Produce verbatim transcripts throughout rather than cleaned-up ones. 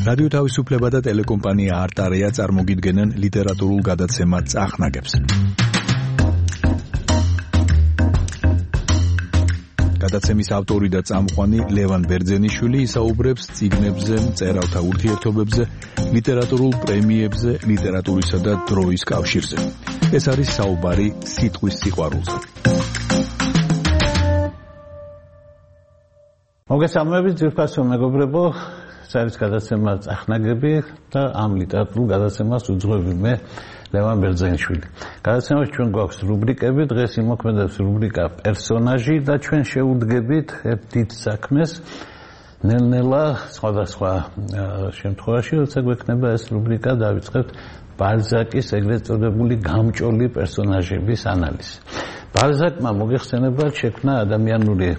რადიო თავისუფლება და ტელეკომპანია არტარია წარმოგიდგენენ ლიტერატურულ გადაცემა წახნაგებს. გადაცემის ავტორი და წამყვანი ლევან ბერძენიშვილი ისაუბრებს წიგნებზე, მწერალთა ურთიერთობებზე, ლიტერატურულ პრემიებზე, ლიტერატურისა და დროის კავშირზე. ეს არის საუბარი სიტყვის სიყვარულზე. მოგესალმებით ძვირფასო მეგობრებო, საერთო გადაცემა წახნაგები და ამ ლიტერატურულ გადაცემას უძღვები მე ლევან ბერძენიშვილი. გადაცემაში ჩვენ გვაქვს რუბრიკები, დღეს იმოქმედებს რუბრიკა პერსონაჟი და ჩვენ შევუდგებით ერთ დიდ საქმეს. ნელ-ნელა სხვადასხვა შემთხვევაში, როცა გვექნება ეს რუბრიკა, დავიწყებთ ბალზაკის ეგრეთ წოდებული გამჭოლი პერსონაჟების ანალიზი. ბალზაკმა მოგეხსენებათ შექმნა ადამიანური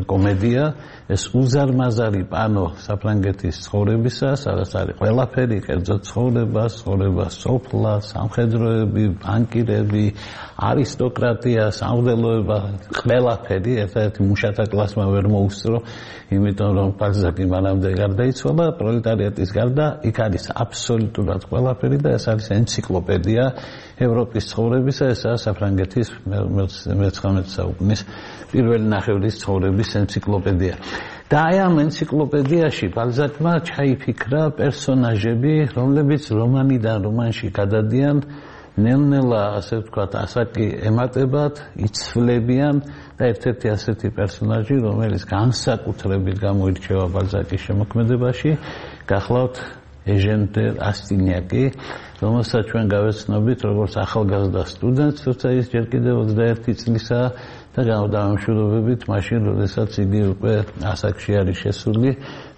კომედია, ეს უზარმაზარი პანო საფრანგეთის ცხოვრებისა, სადაც არის ყველაფერი, კერძო ცხოვრება, ცხოვრება სოფლა, სამხედროები, ბანკირები, არისტოკრატია, სამღვდელოება, ყველაფერი, ერთ-ერთი მუშათა კლასმა ვერ მოუსწრო, იმიტომ რომ ბალზაკი მანამდე გარდაიცვალა, პროლეტარიატის გარდა, იქ არის აბსოლუტურად ყველაფერი და ეს არის ენციკლოპედია ევროპის ცხოვრებისა, ესაა საფრანგეთის მეცხრამეტე საუკუნის პირველი ნახევრის ცხოვრების ენციკლოპედია. და აი ამ ენციკლოპედიაში ბალზაკმა ჩაიფიქრა პერსონაჟები, რომლებიც რომანიდან რომანში გადადიან, ნელ-ნელა, ასე ვთქვათ, ასაკი ემატებათ, იცვლებიან და ერთ-ერთი ასეთი პერსონაჟი, რომელიც განსაკუთრებით გამოირჩევა ბალზაკის შემოქმედებაში, გახლავთ ეჟენ დე რასტინიაკი, რომელსაც ჩვენ გავეცნობით როგორც ახალგაზრდა სტუდენტს, თორსა ის ჯერ კიდევ ოცდაერთი წლისაა და გამოდამშვიდობებით მაშინ, როდესაც იგი უკვე ასაკში არის შესული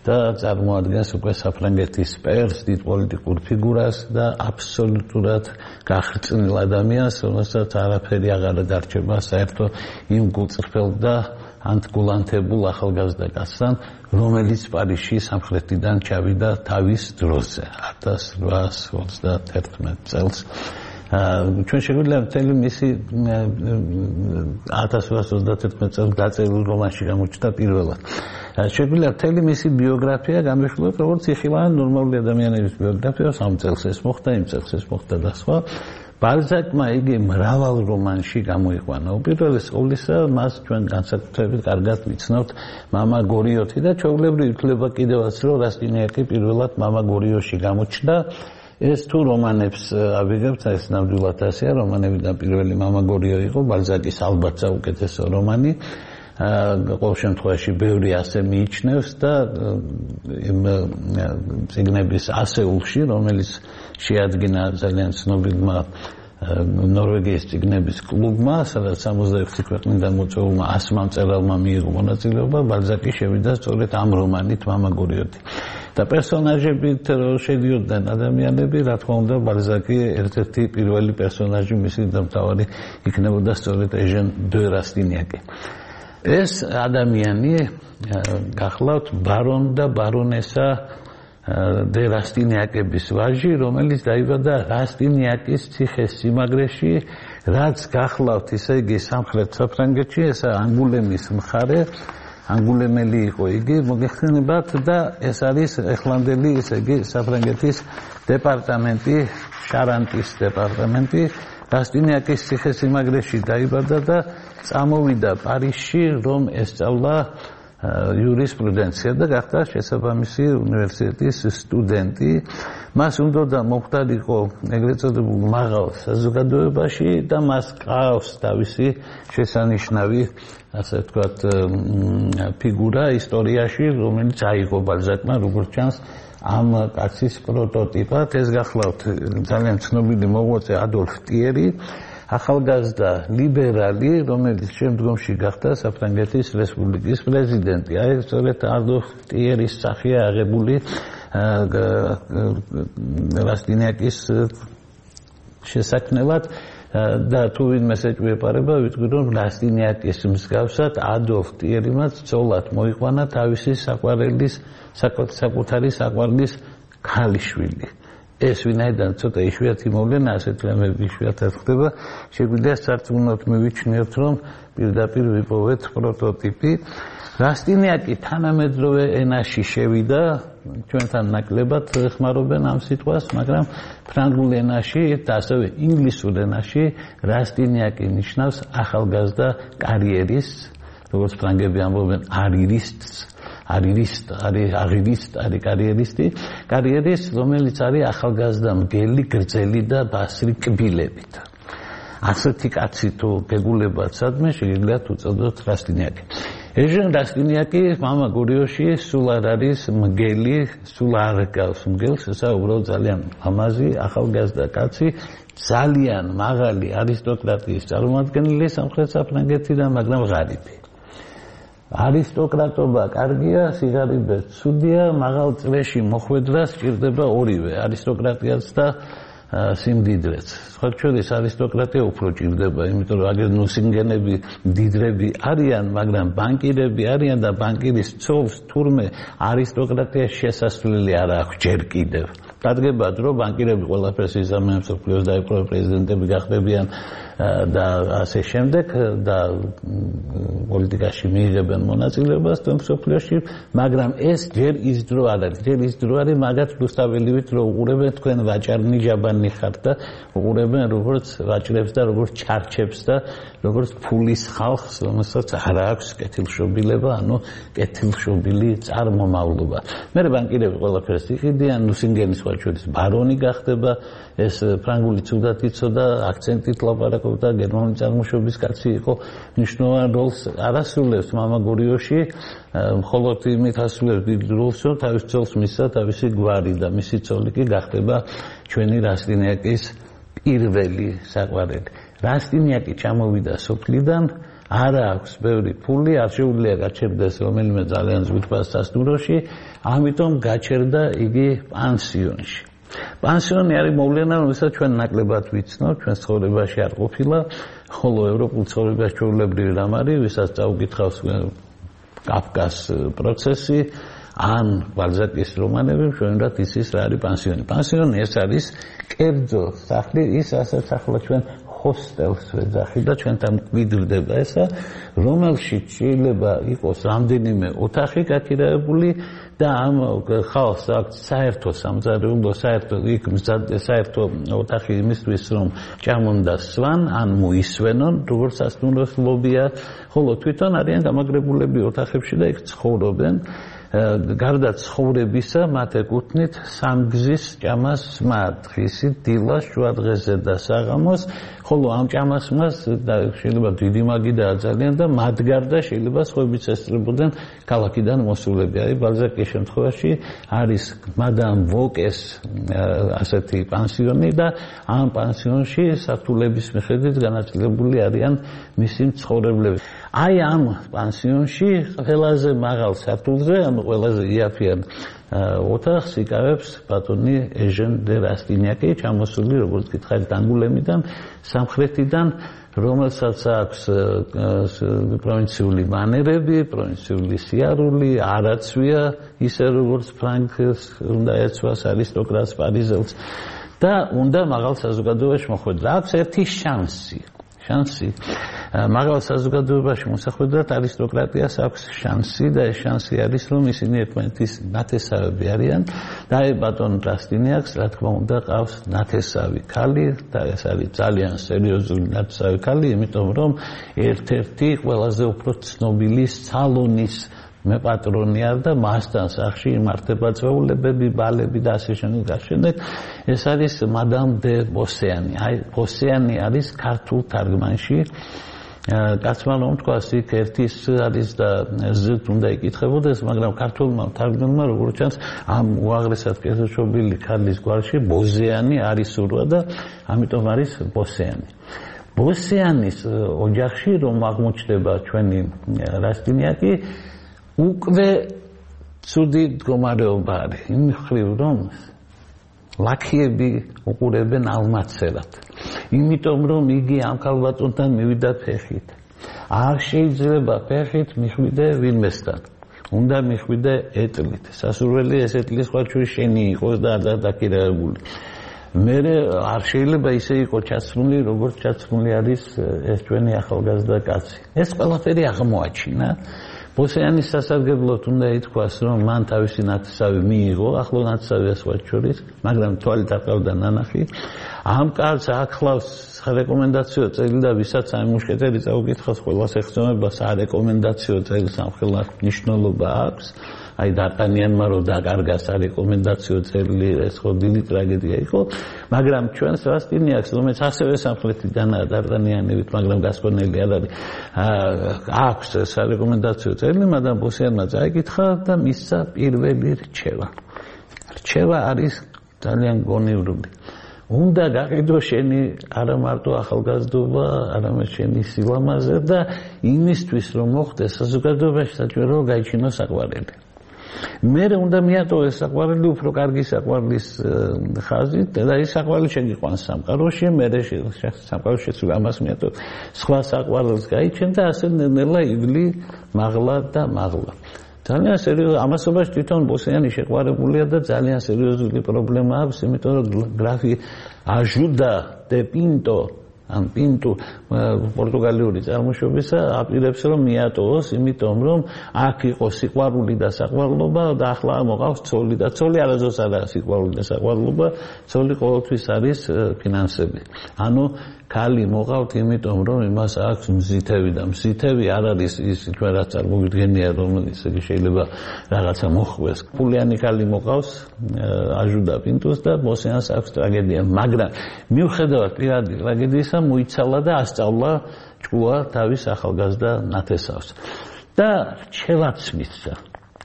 და წარმოადგენს უკვე საფრანგეთის პერს, დიდ პოლიტიკურ ფიგურას და აბსოლუტურად გახრწნილ ადამიანს, რომელსაც არაფერი აღარ დარჩება საერთო იმ გულწრფელ და ანტგულანთებულ ახალგაზრდა კაცთან, რომელიც პარიზში სამხრეთიდან ჩავიდა თავის დროზე, ათას რვაას ოცდაათერთმეტ წელს. ჩვენ შეგვიძლია მთელი მისი ათას რვაას ოცდაათერთმეტ წელს დაწერილ რომანში გამოჩნდა პირველად. შეგვიძლია მთელი მისი ბიოგრაფია განვიხილოთ, როგორც იხილავენ ნორმალური ადამიანების ბიოგრაფიას, ამ წელს ეს მოხდა, იმ წელს ეს მოხდა და სხვა. ბალზაკმა იგი მრავალ რომანში გამოიყვანა. უპირველეს ყოვლისა, მას ჩვენ განსაკუთრებით კარგად ვიცნობთ მამა გორიოთი და ჩვეულებრივ ითვლება კიდევაც, რომ რასტინიაკი პირველად მამა გორიოში გამოჩნდა. ეს თუ რომანებს ავიღებთ, ეს ნამდვილად ასეა, რომანებიდან პირველი მამა გორიო იყო, ბალზაკის ალბათ საუკეთესო რომანი. ყოველ შემთხვევაში ბევრი ასე მიიჩნევს და იმ წიგნების ასეულში, რომელიც შეადგინა ძალიან ცნობილმა ნორვეგიის წიგნების კლუბმა, სადაც სამოცდაექვსი ქვეყნიდან მოწვეულმა ასმა მწერალმა მიიღო მონაწილეობა, ბალზაკი შევიდა სწორედ ამ რომანით მამა გორიოთი. და პერსონაჟებით შედიოდნენ ადამიანები, რა თქმა უნდა, ბალზაკი ერთ-ერთი პირველი პერსონაჟი, მისი დამთავარი იქნებოდა სწორედ ეჟენ დე რასტინიაკი. ეს ადამიანი გახლავთ ბარონ და ბარონესა დე რასტინიაკების ვაჟი, რომელიც დაიბადა რასტინიაკის ციხე-სიმაგრეში, რაც გახლავთ, ისე იგი სამხრეთ საფრანგეთში, ესა ანგულემის მხარე, ანგულემელი იყო იგი, მოგეხსენებათ და ეს არის ეხლანდელი, ისე იგი საფრანგეთის დეპარტამენტი, შარანტის დეპარტამენტი. რასტინიაკის ციხე-სიმაგრეში დაიბადა და წამოვიდა პარიზში, რომ ესწავლა იურისპრუდენცია და გახდა შესაბამისი უნივერსიტეტის სტუდენტი. მას უნდოდა მომხდარიყო ეგრეთ წოდებულ მაღალ საზოგადოებაში და მას ყავს თავისი შესანიშნავი, ასე ვთქვათ, ფიგურა ისტორიაში, რომელიც აიღო ბალზაკმა, როგორც ჩანს, ამ კაცის პროტოტიპად. ეს გახლავთ ძალიან ცნობილი მოღვაწე ადოლფ ტიერი, ახალგაზრდა ლიბერალი, რომელიც შემდგომში გახდა საფრანგეთის რესპუბლიკის პრეზიდენტი. აი სწორედ ადოლფ ტიერის სახეა აღებული რასტინიაკის შესაქმნელად და თუ ვინმე ეჭვიეპარება, ვიტყვი რომ რასტინიაკის მსგავსად ადოლფ ტიერიმაც ცოლად მოიყვანა თავისი საყვარელის, საკუთარი საყვარლის ქალიშვილი. ეს ვინაიდან ცოტა იშვიათი მოვლენა, ასეთი რამები იშვიათად ხდება, შეგვიძლია სარწმუნოდ მივიჩნიოთ, რომ პირდაპირ ვიპოვეთ პროტოტიპი. რასტინიაკი თანამედროვე ენაში შევიდა, ჩვენთან ნაკლებად ხმარობენ ამ სიტყვას, მაგრამ ფრანგულ ენაში და ასევე ინგლისურ ენაში რასტინიაკი ნიშნავს ახალგაზრდა კარიერისტს, როგორც ფრანგები ამბობენ არირისტს, არირისტ, არის არირისტ, არის კარიერისტი, კარიერისტი, რომელიც არის ახალგაზრდა მგელი, გრძელი და ბასრი კბილებით. ასეთი კაცი თუ გეგულებათ სადმე შეიძლება უწოდოთ რასტინიაკი. ეჟენ რასტინიაკი მამა გურიოში სულ არ არის მგელი, სულ არ გავს მგელს, ესა უბრალოდ ძალიან ლამაზი, ახალგაზრდა კაცი, ძალიან მაღალი არისტოკრატიის წარმომადგენელი სამხრეთ საფრანგეთიდან, მაგრამ ღარიბი. არისტოკრატობა კარგია, სიღარიბე ცუდია, მაღალ წრეში მოხვედრა სჭირდება ორივე, არისტოკრატიაც და სიმდიდრეც. სხვა შორის არისტოკრატია უფრო ჭირდება, იმიტომ რომ აგერ ნუსინგენები, მდიდრები არიან, მაგრამ ბანკირები არიან და ბანკირის ცოლს თურმე არისტოკრატიას შესასვლელი არ აქვს ჯერ კიდევ. დადგებათ, რომ ბანკირები ყველაფერს იზამენ, მსოფლიოს დაიპყრო პრეზიდენტები გახდებიან და ასე შემდეგ და პოლიტიკაში მიიღებენ მონაწილეობას და მსოფლიოში, მაგრამ ეს ჯერ ის დრო არ არის. ჯერ ის დრო არის მაგათ რუსთაველივით, რომ უყურებენ თქვენ ვაჭარნი ჟაბანი ხართ და უყურებენ როგორც ვაჭრებს და როგორც ჩარჩებს და როგორც ფულის ხალხს, რომელსაც არ აქვს კეთილშობილება, ანუ კეთილშობილი წარმომავლობა. მე ბანკირები ყველაფერს იყიდიან, ნუსინგენის შორის ბარონი გახდება, ეს ფრანგული ცუდად იცოდა, აქცენტით ლაპარაკობდა, გერმანული წარმოშობის კაცი იყო, მნიშვნელოვან როლს არ ასრულებს მამა გურიოში, მხოლოდ იმით ასრულებს დიდ როლს, რომ თავის ცოლს მისცა თავისი გვარი და მისი ცოლი კი გახდება ჩვენი რასტინიაკის პირველი საყვარელი. რასტინიაკი ჩამოვიდა სოფლიდან, არ აქვს ბევრი ფული, არ შეუძლია გაჩერდეს რომელიმე ძალიან ზრდას სასტუმროში, ამიტომ გაჩერდა იგი პანსიონში. პანსიონი არის მოვლენა, რომელსაც ჩვენ ნაკლებად ვიცნობ, ჩვენ ცხოვრებაში არ ყოფილა, ხოლო ევროპულ ცხოვრებაში ჩვეულებრივი რამ არის, ვისაც წაუკითხავს კაფკას პროცესი, ან ბალზაკის რომანები, ჩვენrat იცის რა არის პანსიონი. პანსიონი ეს არის კერძო სახლი, ის ასაც ახლა ჩვენ ჰოსტელს ვეძახი და ჩვენთან გვიდრდება ესა, რომელშიც შეიძლება იყოს რამდენიმე ოთახი გაქირავებული და ამ ხალხს აქვს საერთო სამზარეულო, საერთო იქ საერთო ოთახი იმისთვის, რომ ჭამონ და სვან, ან მოისვენონ, როგორც სასტუმროს ლობია, ხოლო თვითონ არიან გამაგრებულები ოთახებში და იქ ცხოვრობენ. გარდა ცხოვრებისა, მათ ეკუთვნით სამგზის ჭამას სმა, დღისი, დილას, შუადღეზე და საღამოს, ხოლო ამ ჭამას სმას შეიძლება დიდი მაგიდაა ძალიან და მათ გარდა შეიძლება სხვაებიც ესწრებოდნენ ქალაქიდან მოსულები. აი ბალზაკის შემთხვევაში არის მადამ ვოკეს ასეთი პანსიონი და ამ პანსიონში სართულების მიხედვით განაწილებული არიან მისი მცხოვრებლები. აი ამ პანსიონში ყველაზე მაღალ სართულზე, ანუ ყველაზე იაფიან ოთახს იკავებს ბატონი ეჟენ დე რასტინიაკი, ჩამოსული როგორც გითხარით ანგულემიდან, სამხრეთიდან, რომელსაც აქვს პროვინციული მანერები, პროვინციული სიარული, არაცვია, ისე როგორც ფრანგს უნდა ეცვას არისტოკრატს პარიზელს და უნდა მაღალ საზოგადოებაში მოხვედრა. აქვს ერთი შანსი. შანსი მაღალ საზოგადოებაში მოსახვედრად არისტოკრატიას აქვს შანსი და ეს შანსი არის, რომ ისინი ერთმანეთის ნათესავები არიან და აი ბატონ რასტინიაკს, რა თქმა უნდა, ყავს ნათესავი ქალი და ეს არის ძალიან სერიოზული ნათესავი ქალი, იმიტომ რომ ერთ-ერთი ყველაზე უფრო ცნობილი სალონის მე პატრონი არ და მასთან სახში იმართება წვეულებები, ბალები და ასე შემდეგ და შემდეგ. ეს არის მადამ დე ბოსიანი. აი ბოსიანი არის ქართულ თარგმანში. კაცმა რომ თქვას იქ ერთის არის და ზეთ უნდა იკითხებოდეს, მაგრამ ქართულმა თარგმანმა როგორც ჩანს ამ უაღრესად კეთილშობილი ქალის გვარში ბოზიანი არის სურვა და ამიტომ არის ბოსიანი. ბოსიანის ოჯახში რომ აღმოჩნდება ჩვენი რასტინიაკი უკვე ცუდი მდგომარეობა არის. იმ მხრივ რომ ლაქიები უყურებენ ალმაცერად. იმიტომ რომ იგი ამ ქალბატონთან მივიდა ფეხით. არ შეიძლება ფეხით მიხვიდე ვინმესთან. უნდა მიხვიდე ეტლით. სასურველი ეს ეტლის ხარჩური შენი იყოს და არ დაკირებული. მე არ შეიძლება ისე იყოს ჩაცმული, როგორც ჩაცმული არის ეს ჩვენი ახალგაზრდა კაცი. ეს ყველაფერი აღმოაჩინა. ბოსიანის სასარგებლოდ უნდა ითქვას, რომ მან თავისი ნათესავი მიიღო, ახლო ნათესავი ასვათ შორის, მაგრამ თვალით აკავდა ნანახი. ამ კაცს ახლავს რეკომენდაციო წელი და ვისაც აი მუშკეტერი წაუკითხავს, ყველას ეხსენება სარეკომენდაციო წელი სამხელად მნიშვნელობა აქვს. აი დარტანიანმა რო დაკარგა სარეკომენდაციო წელი, ეს ხო დიდი ტრაგედია იყო, მაგრამ ჩვენს რასტინიაკს, რომელიც ასევე სამხრეთიდანაა დარტანიანებით, მაგრამ გასკონელი არ არის, აქვს სარეკომენდაციო წელი, მაგრამ ბოსიანმა წაიკითხა და მისცა პირველი რჩევა. რჩევა არის ძალიან გონივრული. უნდა გაყიდო შენი არა მარტო ახალგაზრდობა, არამედ შენი სილამაზე და იმისთვის რომ მოხდეს საზოგადოებაში საჭირო გაიჩინოს საყვარელი. მე უნდა მიატოვეს საყვარელი უფრო კარგი საყვარლის ხაზით და ის საყვარელი შეგიყვანს სამყაროში, მე სამყაროში სულ ამას მიატოვ. სხვა საყვარელს გაიჩენ და ასე ნელა ივლი მაღლა და მაღლა. ძალიან სერიოზული ამასობაში თვითონ ბოსიანი შეყვარებულია და ძალიან სერიოზული პრობლემა აქვს, იმიტომ რომ გრაფი აჟუდა დე პინტო ან პინტუ პორტუგალიური წარმოშობისა აპირებს რომ მიატოვოს, იმიტომ რომ აქ იყო სიყვარული და საყვარლობა და ახლა მოყავს ცოლი და ცოლი არასდროს არა სიყვარული და საყვარლობა, ცოლი ყოველთვის არის ფინანსები. ანუ ქალი მოყავთ, იმიტომ რომ იმას აქვს მზითები და მზითები არ არის ის ჩვენ რაც წარმოვიდგენია, რომელიც შეიძლება რაღაცა მოხვდეს. ფულიანი ქალი მოყავს აჟუდა პინტუს და ბოსიანს აქვს ტრაგედია, მაგრამ მიუხედავად პირადი ტრაგედიისა მოიცალა და ასწავლა ჭკუა თავის ახალგაზრდა ნათესავს. და რჩევაც მისცა.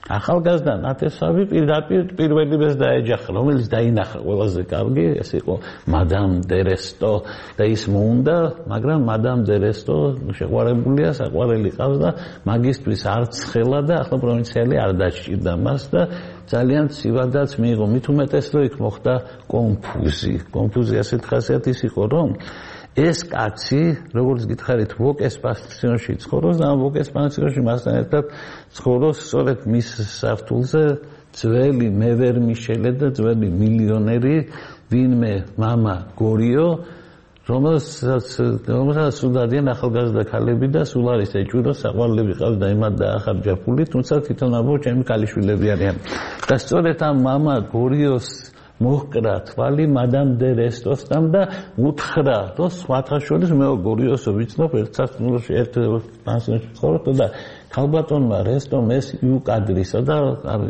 ახალგაზრდა ნათესავი პირდაპირ პირველივეს დაეჯახა, რომელიც დაინახა ყველაზე კარგი, ეს იყო მადამ დე რესტო და ის მოუნდა, მაგრამ მადამ დე რესტო შეყვარებულია, საყვარელი ყავს და მაგისტრის არც ხელა და ახლა პროვინციალი არ დაჭირდა მას და ძალიან ცივადაც მიიღო. მით უმეტეს რომ იქ მოხდა კონფუზი. კონფუზი ასეთ ხასიათის იყო, რომ ეს კაცი, როგორც გითხარით, ვოკეს პანსიონში ცხოვრობს და ამ ვოკეს პანსიონში მასთან ერთად ცხოვრობს სწორედ მის საფთულზე ძველი მევერ მიშელე და ძველი მილიონერი, ვინმე მამა გორიო, რომელსაც რომელსაც სულ დადიან ახალგაზრდა ქალები და სულ არის ეჭვი, რომ საყვარლები ყავს და იმად დაახარჯა ფული, თუმცა თვითონ ამბობს ჩემი ქალიშვილები არიან. და სწორედ ამ მამა გორიოს მოჰკრა თვალი მადამ დე რესტოსთან და უთხრა, რომ სხვათა შორის მე გორიოსო ვიცნობ, ერთ სასტუმროში ერთ პანსიონში ცხოვრობ და ქალბატონმა რესტომ ეს იუკადრისა და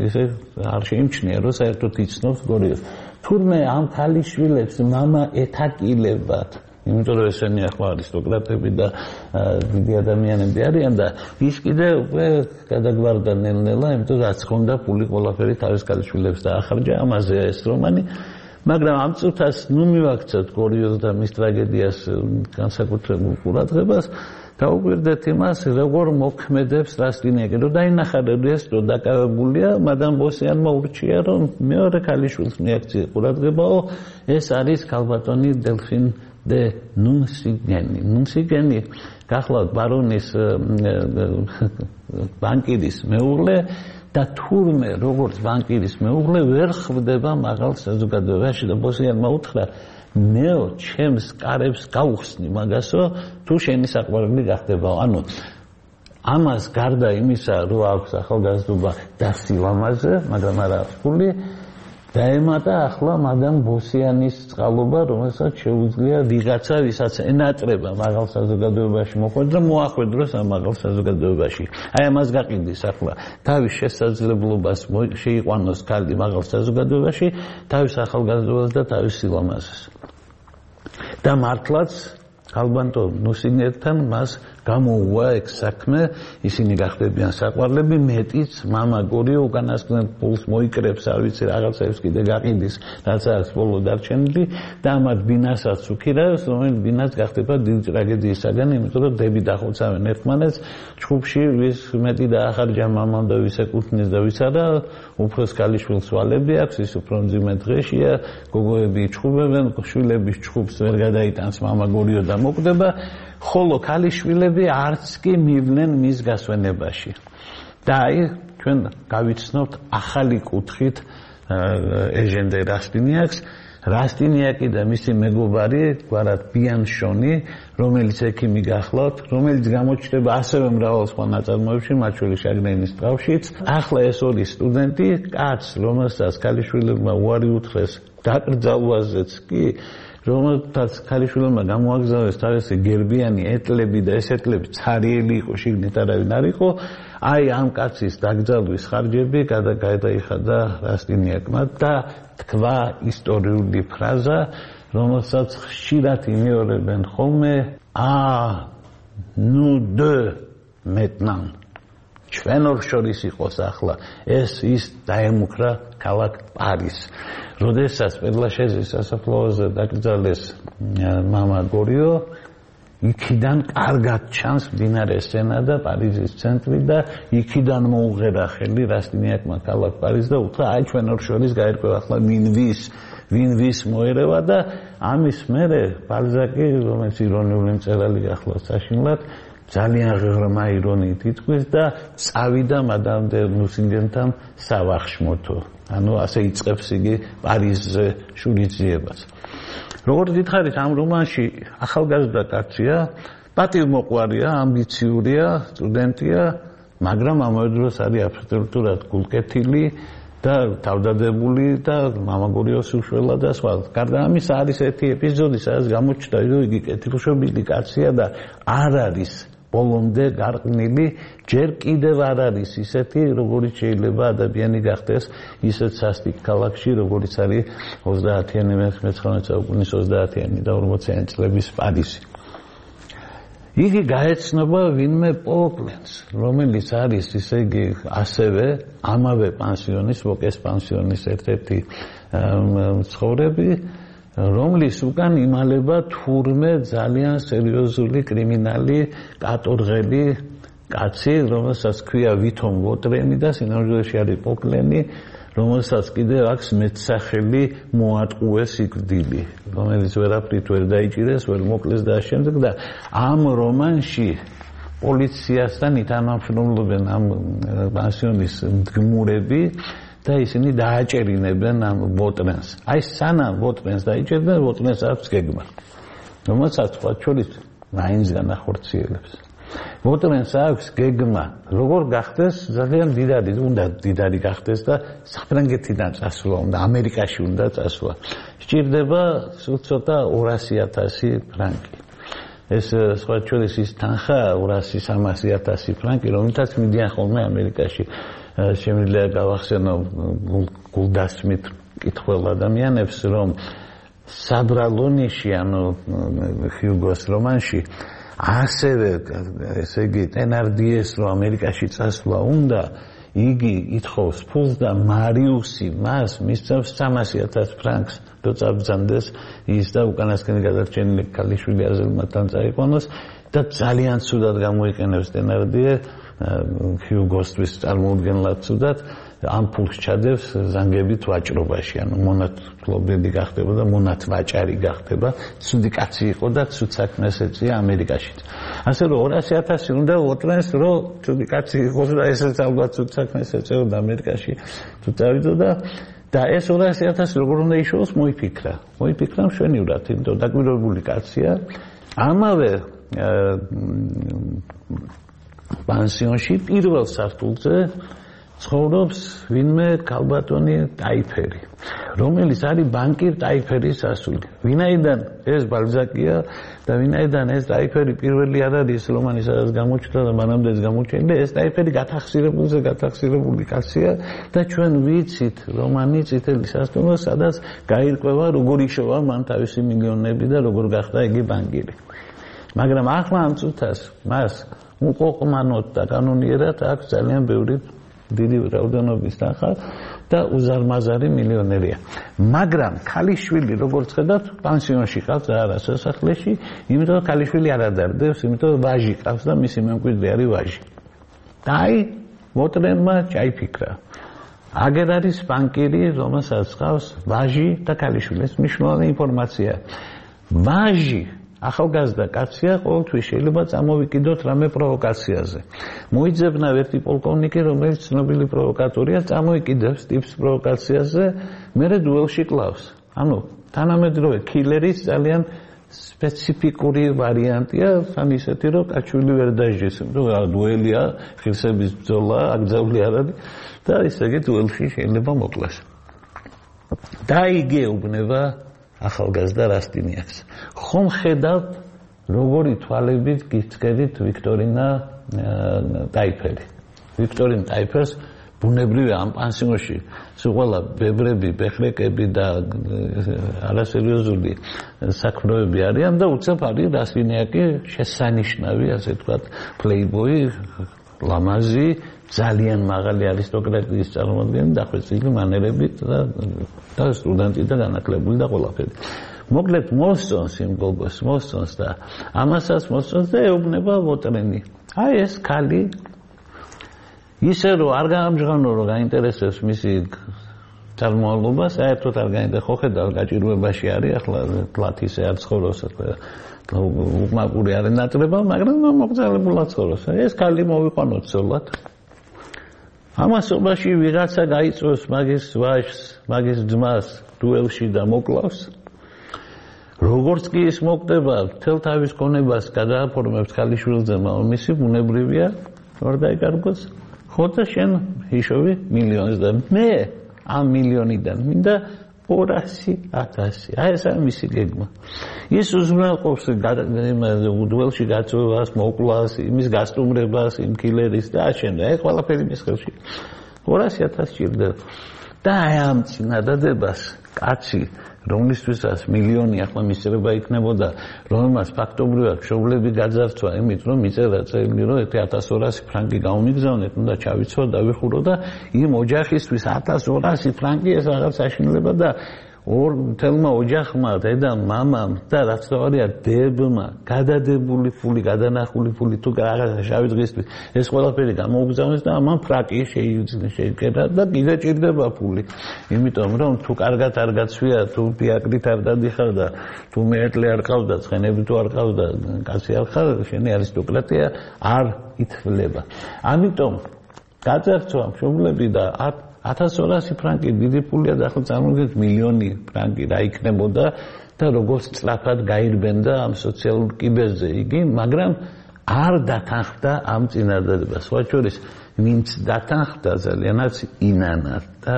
ისე არ შეიმჩნია, რომ საერთოდ იცნობს გორიოს. თურმე ამ ქალიშვილებს მამა ეთაკილებათ, იმიტომ რომ ესენი ახლა არისტოკრატები და დიდი ადამიანები არიან და ის კიდე უკვე გადაგვარდა ნელ-ნელა, იმიტომ რომ რაც ხონდა ფული ყველაფერი თავის ქალიშვილებს დაახარჯა, ამაზე ეს რომანი, მაგრამ ამ წუთას ნუ მივაქცევთ გორიოს და მის ტრაგედიას განსაკუთრებულ ყურადღებას, დაუკვირდეთ იმას, როგორ მოქმედებს რასტინიაკი, რომ დაინახა ეს რომ დაკავებულია, მადამ ბოსიანმა ურჩია, რომ მეორე ქალიშვილს მიაქცია ყურადღებაო, ეს არის ქალბატონი დელფინ დე ნუნსიგენი. ნუნსიგენი გახლავთ ბარონის ბანკირის მეუღლე და თურმე როგორც ბანკირის მეუღლე ვერ ხვდება მაღალ საზოგადოებაში და ბოსიანმა უთხრა, მეო ჩემს კარებს გაუხსნი მაგასო, თუ შენი საყვარელი გახდებაო. ანუ ამას გარდა იმისა, რომ აქვს ახალგაზრდობა და სილამაზე, მაგრამ არა ფული, დაემატა ახლა მადამ ბოსიანის წყალობა, რომელსაც შეუძლია ვიღაცა, ვისაც ენატრება მაღალ საზოგადოებაში მოხვედრა, მოახვედროს ამ მაღალ საზოგადოებაში. აი ამას გაყიდის ახლა თავის შესაძლებლობას შეიყვანოს ქალი მაღალ საზოგადოებაში, თავის ახალგაზრდობას და თავის სილამაზეს. და მართლაც ქალბატონო ნუსინერთან მას გამოუვა ეგ საქმე, ისინი გახდებიან საყვარლები, მეტიც მამა გორიო უკანასკნელ ფულს მოიკრებს, არ ვიცი რაღაცებს კიდე გაყიდის, რაც არის ბოლო დარჩენილი და ამათ ბინასაც უქირავს, რომელიც ბინაც გახდება დიდი ტრაგედიისაგან, იმიტომ რომ დები დახოცავენ ერთმანეთს, ჩხუბში ვის მეტი დაახარჯა მამამ და ვის ეკუთვნის და ვის არა, უფროს ქალიშვილს ვალები აქვს, ის უფრო მძიმე დღეშია, გოგოები ჩხუბებენ, შვილების ჩხუბს ვერ გადაიტანს მამა გორიო და მოკვდება, ხოლო ქალიშვილები არც კი მივნენ მის გასვენებაში. და აი ჩვენ გავიცნობთ ახალი კუთხით ეჟენ დე რასტინიაკს, რასტინიაკი და მისი მეგობარი, გვარად ბიანშონი, რომელიც ექიმი გახლავთ, რომელიც გამოჩნდება ასევე მრავალ სხვა ნაწარმოებში, მათ შორის შაგრენის ტყავშიც. ახლა ეს ორი სტუდენტი, კაცს, რომელსაც ქალიშვილებმა უარი უთხრეს დაკრძალვაზეც კი, რომელთაც ქალიშვილებმა გამოაგზავნეს თავისი გერბიანი ეტლები და ეს ეტლები ცარიელი იყო, შიგნით არავინ არ იყო. აი ამ კაცის დაკრძალვის ხარჯები გადაიხადა რასტინიაკმა და თქვა ისტორიული ფრაზა, რომელსაც ხშირად იმეორებენ ხოლმე, აა ნუ დე მეტნან. ჩვენ ორ შორის იყოს ახლა ეს ის დაემუქრა ქალაქ პარიზს. როდესაც პერლაშეზის სასაფლაოზე დაკრძალეს მამა გორიო, იქიდან კარგად ჩანს მდინარე სენა და პარიზის ცენტრი და იქიდან მოუღერა ხელი რასტინიაკმა ქალაქ პარიზს და უთხრა აი ჩვენ ორ შორის გაერკვა ახლა ვინ ვის ვინ ვის მოერევა და ამის მერე ბალზაკი, რომელიც ირონიული მწერალი გახლავთ საშინლად, ძალიან ღრმა ირონიით ითქვის და წავიდა მადამ დე ნუსინგენთან სავახშმოთო. ანუ ასე იწყებს იგი პარიზზე შურიძიებას. როგორც გითხარით, ამ რომანში ახალგაზრდა კაცია, პატივმოყვარია, ამბიციურია, სტუდენტია, მაგრამ ამავე დროს არის აბსოლუტურად გულკეთილი და თავდადებული და მამაგორიოს უშველა და სხვა. გარდა ამისა არის ერთი ეპიზოდი, სადაც გამოჩნდა, რომ იგი კეთილშობილი კაცია და არ არის ბოლომდე გარყნილი, ჯერ კიდევ არ არის ისეთი, როგორიც შეიძლება ადამიანი გახდეს ისეთ სასტიკ ქალაქში, როგორიც არის ოცდაათიანი მეცხრამეტე საუკუნის ოცდაათიანი და ორმოციანი წლების პარიზი. იგი გაეცნობა ვინმე პოლკლენს, რომელიც არის ისე იგი ასევე ამავე პანსიონის, ვოკეს პანსიონის ერთ-ერთი მცხოვრები, რომლის უკან იმალება თურმე ძალიან სერიოზული კრიმინალი კატორღელი კაცი, რომელსაც ქვია ვითომ ვოტრენი და სინამდვილეში არის პოლკლენი, რომელსაც კიდევ აქვს მეტსახელი მოატყუეს სიკვდილი, რომელიც ვერაფრით ვერ დაიჭირეს, ვერ მოკლეს და შემდეგ და ამ რომანში პოლიციასთან ითანამშრომლობენ ამ პანსიონის მდგმურები და ისინი დააჭერინებენ ამ ვოტრენს. აი სანამ ვოტრენს დაიჭერდნენ, ვოტრენს აქვს გეგმა, რომელსაც სხვა შორის მაინც განახორციელებს. ვოტრენს აქვს გეგმა, როგორ გახდეს ძალიან დიდარი, უნდა დიდარი გახდეს და საფრანგეთიდან წასვლა უნდა, ამერიკაში უნდა წასვლა. სჭირდება სულ ცოტა ორასი ათასი ფრანკი. ეს სხვა შორის ის თანხა ორასი სამასი ათასი ფრანკი, რომელთაც მიდიან ხოლმე ამერიკაში. შემიძლია გავახსენო გულდასმით მკითხველ ადამიანებს, რომ საბრალო ნიში, ანუ ჰიუგოს რომანში, ასევე ესე იგი ტენარდიეს რომ ამერიკაში წასვლა უნდა, იგი ითხოვს ფულს და მარიუსი მას მისცემს სამასი ათას ფრანკს, რომ წაბრძანდეს ის და უკანასკნელი გადარჩენილი ქალიშვილი აზერბაიჯანთან წაიყვანოს და ძალიან ცუდად გამოიყენებს ტენარდიე ჰიუგოსთვის წარმოუდგენლად ცუდად ამ ფულს ჩადევს ზანგებით ვაჭრობაში, ანუ მონათმფლობელი გახდება და მონათვაჭარი გახდება, ცუდი კაცი იყო და ცუდ საქმეს ეწია ამერიკაშიც. ასე რომ ორასი ათასი უნდა ვოტრენს, რომ ცუდი კაცი იყოს და ესეც ალბათ ცუდ საქმეს ეწეოდა ამერიკაში თუ წავიდოდა და ეს ორასი ათასი როგორ უნდა იშოვოს, მოიფიქრა. მოიფიქრა მშვენივრად, იმიტომ დაკვირვებული კაცია. ამავე პანსიონში პირველ სართულზე ცხოვრობს ვინმე ქალბატონი ტაიფერი, რომელიც არის ბანკირ ტაიფერის ასული. ვინაიდან ეს ბალზაკია და ვინაიდან ეს ტაიფერი პირველი არ არის რომანი, სადაც გამოჩნდა და მანამდე ეს გამოჩენილი, ეს ტაიფერი გათახსირებულზე გათახსირებული კაცია და ჩვენ ვიცით რომანი წითელი სასტუმრო, სადაც გაირკვევა როგორ იშოვა მან თავისი მილიონები და როგორ გახდა იგი ბანკირი. მაგრამ ახლა ამ წუთას მას უყოყმანოდ და კანონიერად აქვს ძალიან ბევრი დიდი რაოდენობის თანხა და უზარმაზარი მილიონერია. მაგრამ ქალიშვილი როგორც ხედავთ, პანსიონში ყავს და არა სასახლეში, იმიტომ რომ ქალიშვილი არ ადარდებს, იმიტომ რომ ვაჟი ყავს და მისი მემკვიდრე არის ვაჟი. და აი ვოტრენმა ჩაიფიქრა. აგერ არის ბანკირი, რომელსაც ყავს ვაჟი და ქალიშვილი. ეს მნიშვნელოვანი ინფორმაცია. ვაჟი ახალგაზრდა კაცია, ყოველთვის შეიძლება წამოვიკიდოთ რამე პროვოკაციაზე. მოიძებნა ერთი პოლკოვნიკი, რომელიც ცნობილი პროვოკატორია, წამოიკიდებს ტიპს პროვოკაციაზე, მერე დუელში კლავს. ანუ თანამედროვე killer-ის ძალიან სპეციფიკური ვარიანტია, თან ისეთი რომ კაჩული ვერ დაჟეს, რომ დუელია, ღირსების ბრძოლა, აკრძალული არ არის და ესე იგი დუელში შეიძლება მოკლას. და იგეუბნება ახალგაზრდა რასტინიაკს. ხომ ხედავთ როგორი თვალებით გიწყედით ვიქტორინა ტაიფერი. ვიქტორინ ტაიფერს ბუნებრივი ამ პანსიონში სულ ბებრები, ბეხრეკები და არასერიოზული საქმროები არიან და უცებ არის რასტინიაკი შესანიშნავი, ასე ვთქვათ, პლეიბოი, ლამაზი, ძალიან მაღალი არისტოკრატიის წარმოადგენელი, დახვეწილი მანერებით და და სტუდენტი და განათლებული და ყველაფერი. მოკლედ მოსწონს იმ გოგოს, მოსწონს და ამასაც მოსწონს და ეუბნება ვოტრენი. აი ეს ქალი ისე რომ არ გაამჟღავნო რომ გაინტერესებს მისი წარმოალობა, საერთოდ არ გაინტერესებს, ხო ხედავ გაჭირვებაში არის, ახლა თლათ ისე არ ცხოვრობს, უკმაყური არის ნატრება, მაგრამ მოგზაურებულად ცხოვრობს. ეს ქალი მოვიყვანოთ ცოლად. ამასობაში ვიღაცა გაიწვევს მაგის ვაჟს, მაგის ძმას დუელში და მოკლავს. როგორც კი ის მოკვდება, მთელ თავის ქონებას გადააფორმებს ქალიშვილზე, მამამისი ბუნებრივია, არ დაიკარგოს. ხო და შენ ჰიშოვი მილიონს და მე ამ მილიონიდან მინდა ორასი ათასი. აი ეს არის მისი გეგმა. ის უზრუნველყოფს დუელში გაწვევას, მოკლას, იმის გასტუმრებას, იმ კილერის და აშენდა. ეს ყველაფერი მის ხელში. ორასი ათასი ჭირდება. და აი ამ წინადადებას კაცი რომლისთვისაც მილიონი ახლა მისწრება იქნებოდა, რომელმაც ფაქტობრივად მშობლები გაძარცვა იმით, რომ მიწერა წელი, რომ ათას ორასი ფრანკი გამომიგზავნეთ, უნდა ჩავიცვა, დავიხურო და იმ ოჯახისთვის ათას ორასი ფრანკი ეს რაღაც საშინელება და ორ თელმა ოჯახმა, დედამ, მამამ და რაც თავარია დებმა გადადებული ფული, გადანახული ფული თუ რაღაცა შავი დღისთვის ეს ყველაფერი გამოუგზავნეს და ამან ფრაკი შეიკერა და კიდე ჭირდება ფული. იმიტომ რომ თუ კარგად არ გაცვია, თუ პიატრით არ დადიხარ და თუ მეეტლი არ ყავდა, ცხენები თუ არ ყავდა, კაცი არ ხარ, შენი არისტოკრატია არ ითვლება. ამიტომ გაძარცვა მშობლები და ათას ორასი ფრანკი დიდი ფულია და ახლა წარმოგიდგენთ მილიონი ფრანკი რა იქნებოდა და როგორც სწრაფად გაირბენდა ამ სოციალურ კიბეზე იგი, მაგრამ არ დათანხმდა ამ წინადადებას. სხვა შორის ვინც დათანხმდა ძალიანაც ინანა და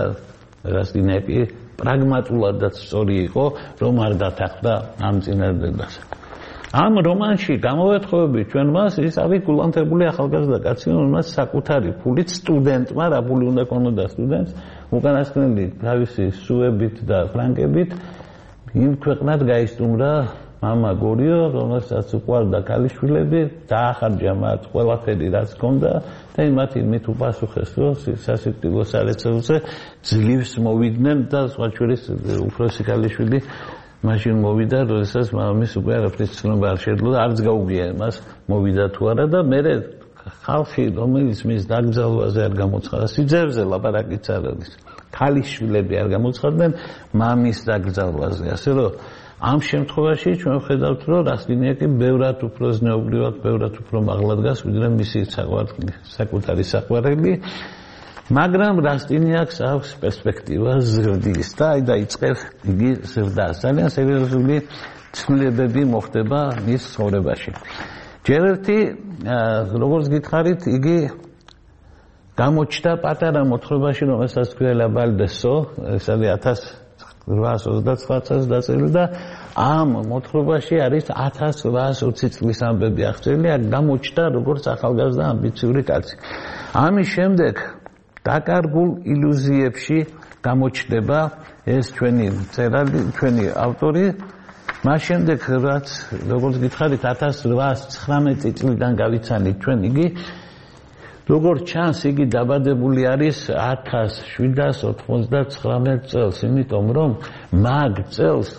რასტინიაკი პრაგმატულადაც სწორი იყო, რომ არ დათანხმდა ამ წინადადებას. ამ რომანში გამოვეთხოვებით ჩვენ მას ის არის გულანთებული ახალგაზრდა კაცი, რომელმაც საკუთარი ფულით სტუდენტმა, რა ფული უნდა ქონოდა სტუდენტს, უკანასკნელი თავისი სუებით და ფრანკებით იმ ქვეყნად გაისტუმრა მამა გორიო, რომელსაც უყვარდა ქალიშვილები, დაახარჯა მათ ყველაფერი რაც ჰქონდა და იმათი მით უპასუხეს, რომ სასიკვდილო სარეცელზე ძლივს მოვიდნენ და სხვა შორის უფროსი ქალიშვილი მაშინ მოვიდა, როდესაც მამის უკვე არაფრის ცნობა არ შეძლო და არც გაუგია მას მოვიდა თუ არა და მე ხალხი, რომელიც მის დაკრძალვაზე არ გამოცხადა, სიძერზე ლაპარაკიც არ არის. ქალიშვილები არ გამოცხადდნენ მამის დაკრძალვაზე, ასე რომ ამ შემთხვევაში ჩვენ ვხედავთ, რომ რასტინიაკი ბევრად უფრო ზნეობრივად, ბევრად უფრო მაღლა დგას, ვიდრე მისი საკუთარი საყვარელი. მაგრამ რასტინიაკს აქვს პერსპექტივა ზრდის და აი დაიწყებს იგი ზრდას. ძალიან სერიოზული ცვლილებები მოხდება მის ცხოვრებაში. ჯერ ერთი, როგორც გითხარით, იგი გამოჩნდა პატარა მოთხრობაში, რომელსაც ქვია ბალდესო, ეს არის ათას რვაას ოცდაცხრა წელს დაწერილი და ამ მოთხრობაში არის ათას რვაას ოცი წლის ამბები აღწერილი, გამოჩნდა როგორც ახალგაზრდა ამბიციური კაცი. ამის შემდეგ დაკარგულ ილუზიებში გამოჩნდება ეს ჩვენი წერალი, ჩვენი ავტორი. მას შემდეგ რაც როგორც გითხარით ათას რვაას ცხრამეტი წლიდან გავიცანით ჩვენ იგი, როგორც ჩანს იგი დაბადებული არის ათას შვიდას ოთხმოცდაცხრამეტ წელს, იმიტომ რომ მაგ წელს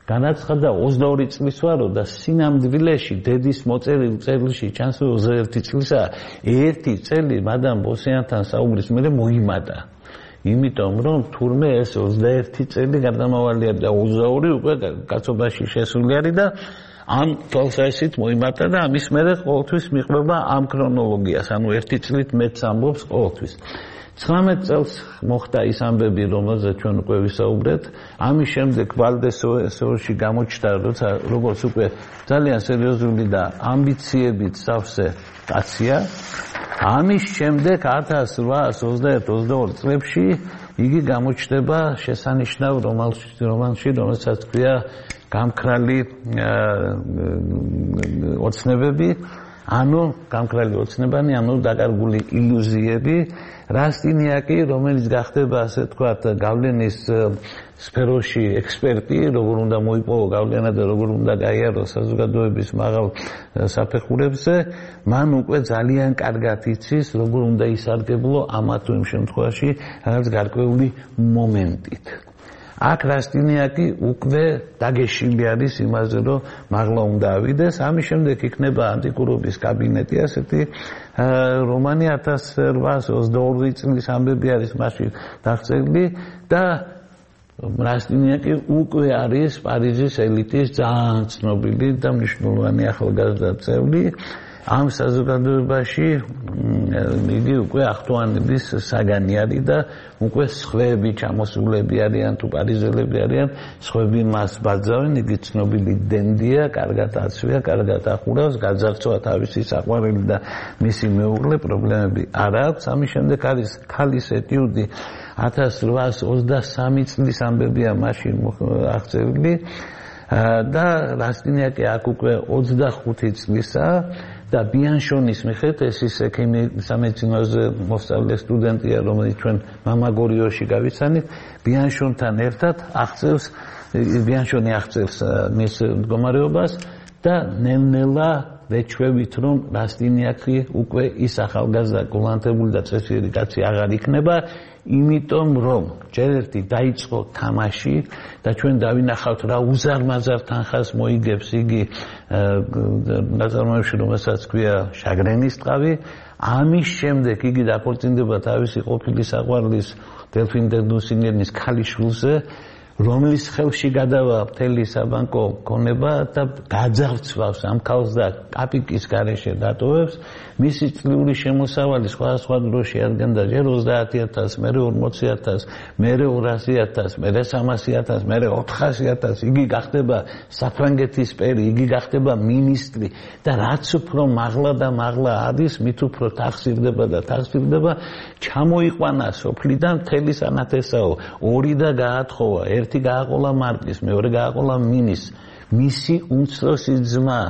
განაცხადა ოცდაორი წლის ვარო და სინამდვილეში დედის მოწერილ წერილში ჩანს რომ ოცდაერთი წლისა ერთი წელი მადამ ბოსიანთან საუბრის მერე მოიმატა. იმიტომ რომ თურმე ეს ოცდაერთი წელი გარდამავალია და ოცდაორი უკვე კაცობაში შესული არის და ამ თვალსაზრისით მოიმართა და ამის მერე ყოველთვის მიყვება ამ ქრონოლოგიას, ანუ ერთი წლით მეც ამბობს ყოველთვის. ცხრამეტ წელს მოხდა ის ამბები, რომელზეც ჩვენ უკვე ვისაუბრეთ. ამის შემდეგ ვალდესოოში გამოჩნდა, როცა როგორც უკვე ძალიან სერიოზული და ამბიციებით სავსე კაცია. ამის შემდეგ ათას რვაას ოცდაერთ ოცდაორი წლებში იგი გამოჩნდება შესანიშნავ რომანში, რომელსაც ქვია გამქრალი ოცნებები, ანუ გამქრალი ოცნებანი, ანუ დაკარგული ილუზიები. რასტინიაკი, რომელიც გახდება, ასე თქვათ, გავლენის სფეროში ექსპერტი, როგორ უნდა მოიპოვო გავლენა და როგორ უნდა გაიაროს საზოგადოების მაღალ საფეხურებზე, მან უკვე ძალიან კარგად იცის, როგორ უნდა ისარგებლო ამა თუ იმ შემთხვევაში, რაღაც გარკვეული მომენტით. აქ რასტინიაკი უკვე დაგეშილი არის იმაზე, რომ მაღლა უნდა ავიდეს. ამის შემდეგ იქნება ანტიკურობის კაბინეტი, ასეთი რომანი ათას რვაას ოცდაორი წლის ამბები არის მასში დაღწეული და რასტინიაკი უკვე არის პარიზის ელიტის ძალიან ცნობილი და მნიშვნელოვანი ახალგაზრდა წევრი. ამ საზოგადოებაში იგი უკვე ახტოვანების საგანი არის და უკვე სხვები ჩამოსულები არიან თუ პარიზელები არიან, სხვები მას ბაძავენ, იგი ცნობილი დენდია, კარგად აცვია, კარგად ახურავს, გაძარცვა თავისი საყვარელი და მისი მეუღლე, პრობლემები არ აქვს. ამის შემდეგ არის ქალის ეტიუდი ათას რვაას ოცდასამი წლის ამბებია მასში აღწერილი და რასტინიაკი აქ უკვე ოცდახუთი წლისაა. და ბიანშონის მიხედვით ეს ის სამედიცინოზე მოსწავლე სტუდენტია, რომელიც ჩვენ მამაგორიოში გავიცანით, ბიანშონთან ერთად აღწევს, ბიანშონი აღწევს მის მდგომარეობას და ნელ-ნელა ვეჩვევით, რომ რასტინიაკი უკვე ის ახალგაზრდა გულანთებული და წესიერი კაცი აღარ იქნება, იმიტომ რომ ჯერ ერთი დაიწყო თამაში და ჩვენ დავინახავთ რა უზარმაზარ თანხას მოიგებს იგი ნაწარმოებში, რომელსაც ქვია შაგრენის ტყავი. ამის შემდეგ იგი დაქორწინდება თავისი ყოფილი საყვარლის დელფინ დე ნუსინგენის ქალიშვილზე, რომლის ხელში გადავა მთელი საბანკო ქონება და გაძარცვავს ამ ქალს და კაპიკის გარეშე დატოვებს. მისი წლიური შემოსავალი სხვადასხვა დროში ადგენდა ჯერ ოცდაათი ათასს, მერე ორმოცი ათასს, მერე ორასი ათასს, მერე სამასი ათასს, მერე ოთხასი ათასს. იგი გახდება საფრანგეთის პერი, იგი გახდება მინისტრი და რაც უფრო მაღლა და მაღლა არის, მით უფრო თახსირდება და თახსირდება. ჩამოიყვანა სოფლიდან მთელი სანათესაო, ორი და გაათხოვა, ერთი გააყოლა მარკის, მეორე გააყოლა მინის. მისი უმცროსი ძმა,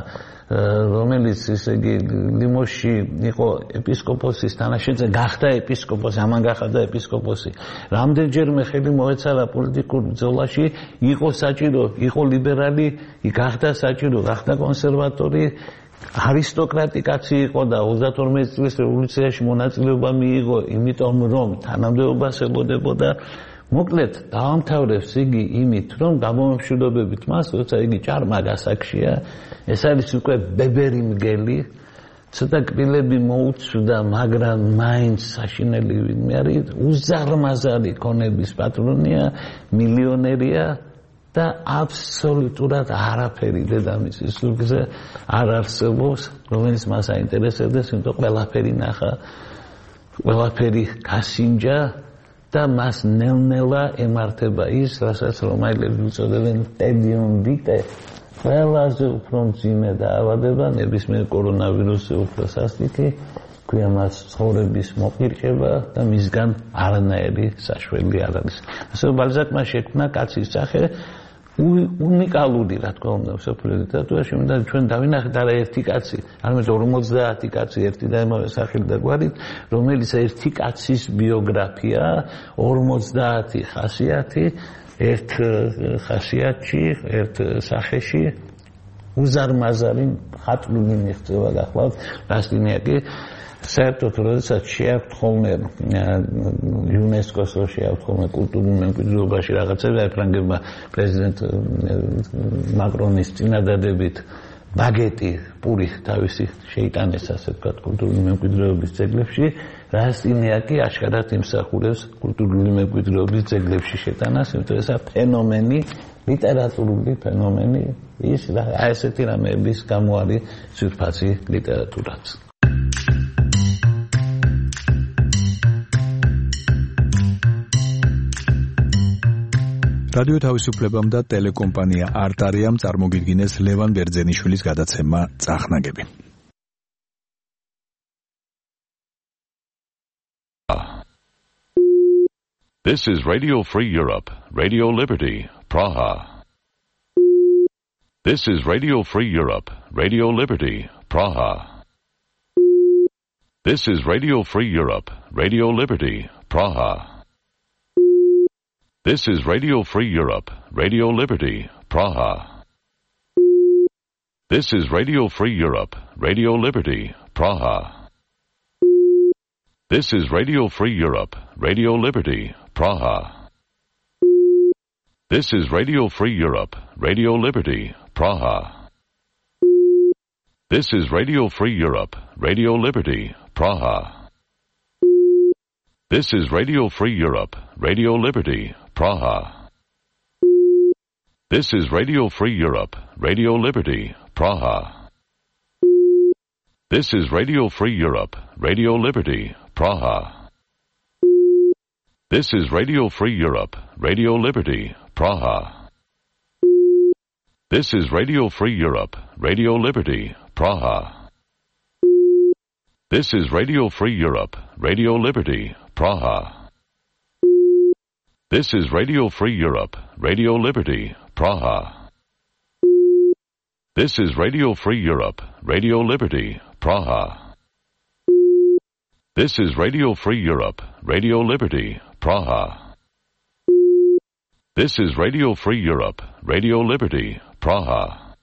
რომელიც ესე იგი ლიმოში იყო ეპისკოპოსის თანაშემწე, გახდა ეპისკოპოსი, ამან გახდა ეპისკოპოსი. რამდენჯერმე ხელი მოეცალა პოლიტიკურ ბრძოლაში, იყო საჭირო, იყო ლიბერალი, გახდა საჭირო, გახდა კონსერვატორი. არისტოკრატი კაცი იყო და ოცდათორმეტი წლის რევოლუციაში მონაწილეობა მიიღო, იმიტომ რომ თანამდებობას ელოდებოდა. მოკლედ დაამთავრებს იგი იმით, რომ გამომშვიდობებით მას, როცა იგი ჭარმა გასაგშია, ეს არის უკვე ბებერი მგელი, ცოტა კბილები მოუწვდა, მაგრამ მაინც საშინელი ვინმე არის, უზარმაზარი ქონების პატრონია, მილიონერია და აბსოლუტურად არაფერი დედამისის ზურგზე არ არსებობს, რომელიც მას აინტერესებდეს, იმიტომ ყველაფერი ნახა, ყველაფერი გასინჯა და მას ნელ-ნელა ემართება ის, რასაც რომაელები უწოდებენ ტედიუმ ვიტე, ყველაზე უფრო მძიმე დაავადება, ნებისმიერ კორონავირუსზე უფრო სასტიკი, ქვია მას ცხოვრების მოპირკება და მისგან არანაირი საშველი არ არის. ასე ბალზაკმა შექმნა კაცის სახე უნიკალური, რა თქმა უნდა, მსოფლიო ლიტერატურაში, და ჩვენ დავინახეთ არა ერთი კაცი, არამედ ორმოცდაათი კაცი ერთი და იმავე სახით და გვარით, რომელიც ერთი კაცის ბიოგრაფია, ორმოცდაათი ხასიათი, ერთ ხასიათში, ერთ სახეში უზარმაზარი ხატული მიღწევა გახლავთ. რასტინიაკი საერთოდ როდესაც შეაქვთ ხოლმე იუნესკოს შეაქვთ ხოლმე კულტურულ მემკვიდრეობაში რაღაცები, ფრანგებმა პრეზიდენტ მაკრონის წინადადებით ბაგეტი პური თავისი შეიტანეს, ასე ვთქვათ, კულტურული მემკვიდრეობის ძეგლებში. რასტინიაკი აშკარად იმსახურებს კულტურული მემკვიდრეობის ძეგლებში შეტანას, იმიტომ ეს ფენომენი, ლიტერატურული ფენომენი, ის აი ესეთი რამეების გამო არის ძვირფასი ლიტერატურაც. რადიო თავისუფლებამ და ტელეკომპანია არტარიამ წარმოგიდგინეს ლევან ბერძენიშვილის გადაცემა წახნაგები. This is Radio Free Europe, Radio Liberty, Praha. This is Radio Free Europe, Radio Liberty, Praha. This is Radio Free Europe, Radio Liberty, Praha. This is Radio Free Europe, Radio Liberty, Praha. This is Radio Free Europe, Radio Liberty, Praha. This is Radio Free Europe, Radio Liberty, Praha. This is Radio Free Europe, Radio Liberty, Praha. This is Radio Free Europe, Radio Liberty, Praha. This is Radio Free Europe, Radio Liberty, Praha. This is Radio Free Europe, Radio Liberty, Praha. This is Radio Free Europe, Radio Liberty, Praha. This is Radio Free Europe, Radio Liberty, Praha. This is Radio Free Europe, Radio Liberty, Praha. This is Radio Free Europe, Radio Liberty, Praha. This is Radio Free Europe, Radio Liberty, Praha. This is Radio Free Europe, Radio Liberty, Praha. This is Radio Free Europe, Radio Liberty, Praha. This is Radio Free Europe, Radio Liberty, Praha.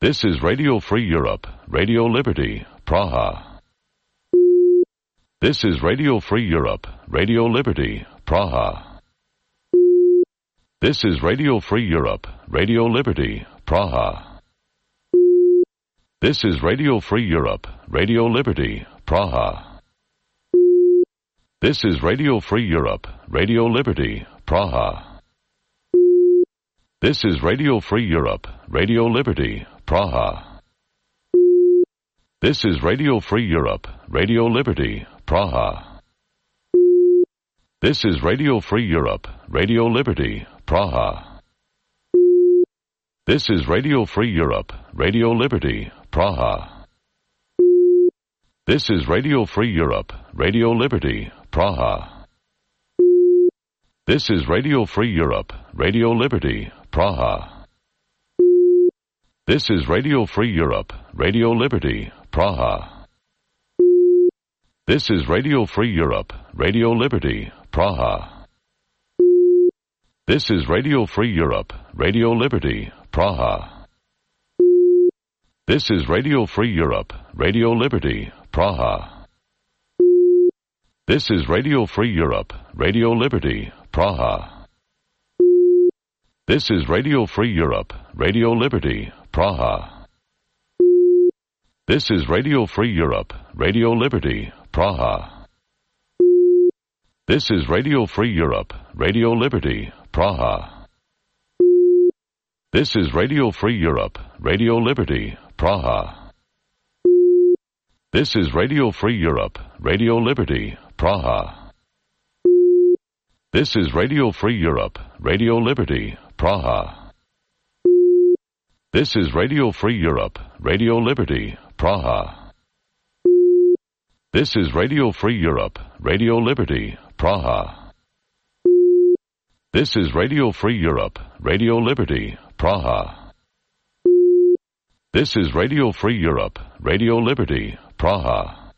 This is Radio Free Europe, Radio Liberty, Praha. This is Radio Free Europe, Radio Liberty, Praha. This is Radio Free Europe, Radio Liberty, Praha. This is Radio Free Europe, Radio Liberty, Praha. This is Radio Free Europe, Radio Liberty, Praha. This is Radio Free Europe, Radio Liberty, Praha. This is Radio Free Europe, Radio Liberty, Praha. This is Radio Free Europe, Radio Liberty, Praha. This is Radio Free Europe, Radio Liberty, Praha. This is Radio Free Europe, Radio Liberty, Praha. This is Radio Free Europe, Radio Liberty, Praha. This is Radio Free Europe, Radio Liberty, Praha. This is Radio Free Europe, Radio Liberty, Praha. This is Radio Free Europe, Radio Liberty, Praha. This is Radio Free Europe, Radio Liberty, Praha. This is Radio Free Europe, Radio Liberty, Praha. This is Radio Free Europe, Radio Liberty, Praha. This is Radio Free Europe, Radio Liberty, Praha. This is Radio Free Europe, Radio Liberty, Praha. This is Radio Free Europe, Radio Liberty, Praha. This is Radio Free Europe, Radio Liberty, Praha. This is Radio Free Europe, Radio Liberty, Praha. This is Radio Free Europe, Radio Liberty, Praha. This is Radio Free Europe, Radio Liberty, Praha. This is Radio Free Europe, Radio Liberty, Praha. This is Radio Free Europe, Radio Liberty, Praha.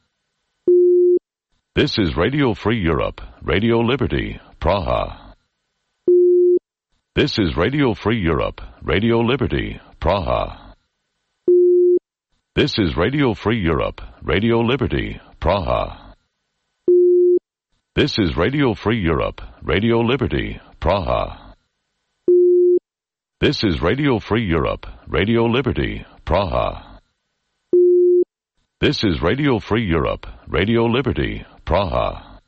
This is Radio Free Europe, Radio Liberty, Praha. This is Radio Free Europe, Radio Liberty, Praha. This is Radio Free Europe, Radio Liberty, Praha. This is Radio Free Europe, Radio Liberty, Praha. This is Radio Free Europe, Radio Liberty, Praha. This is Radio Free Europe, Radio Liberty, Praha.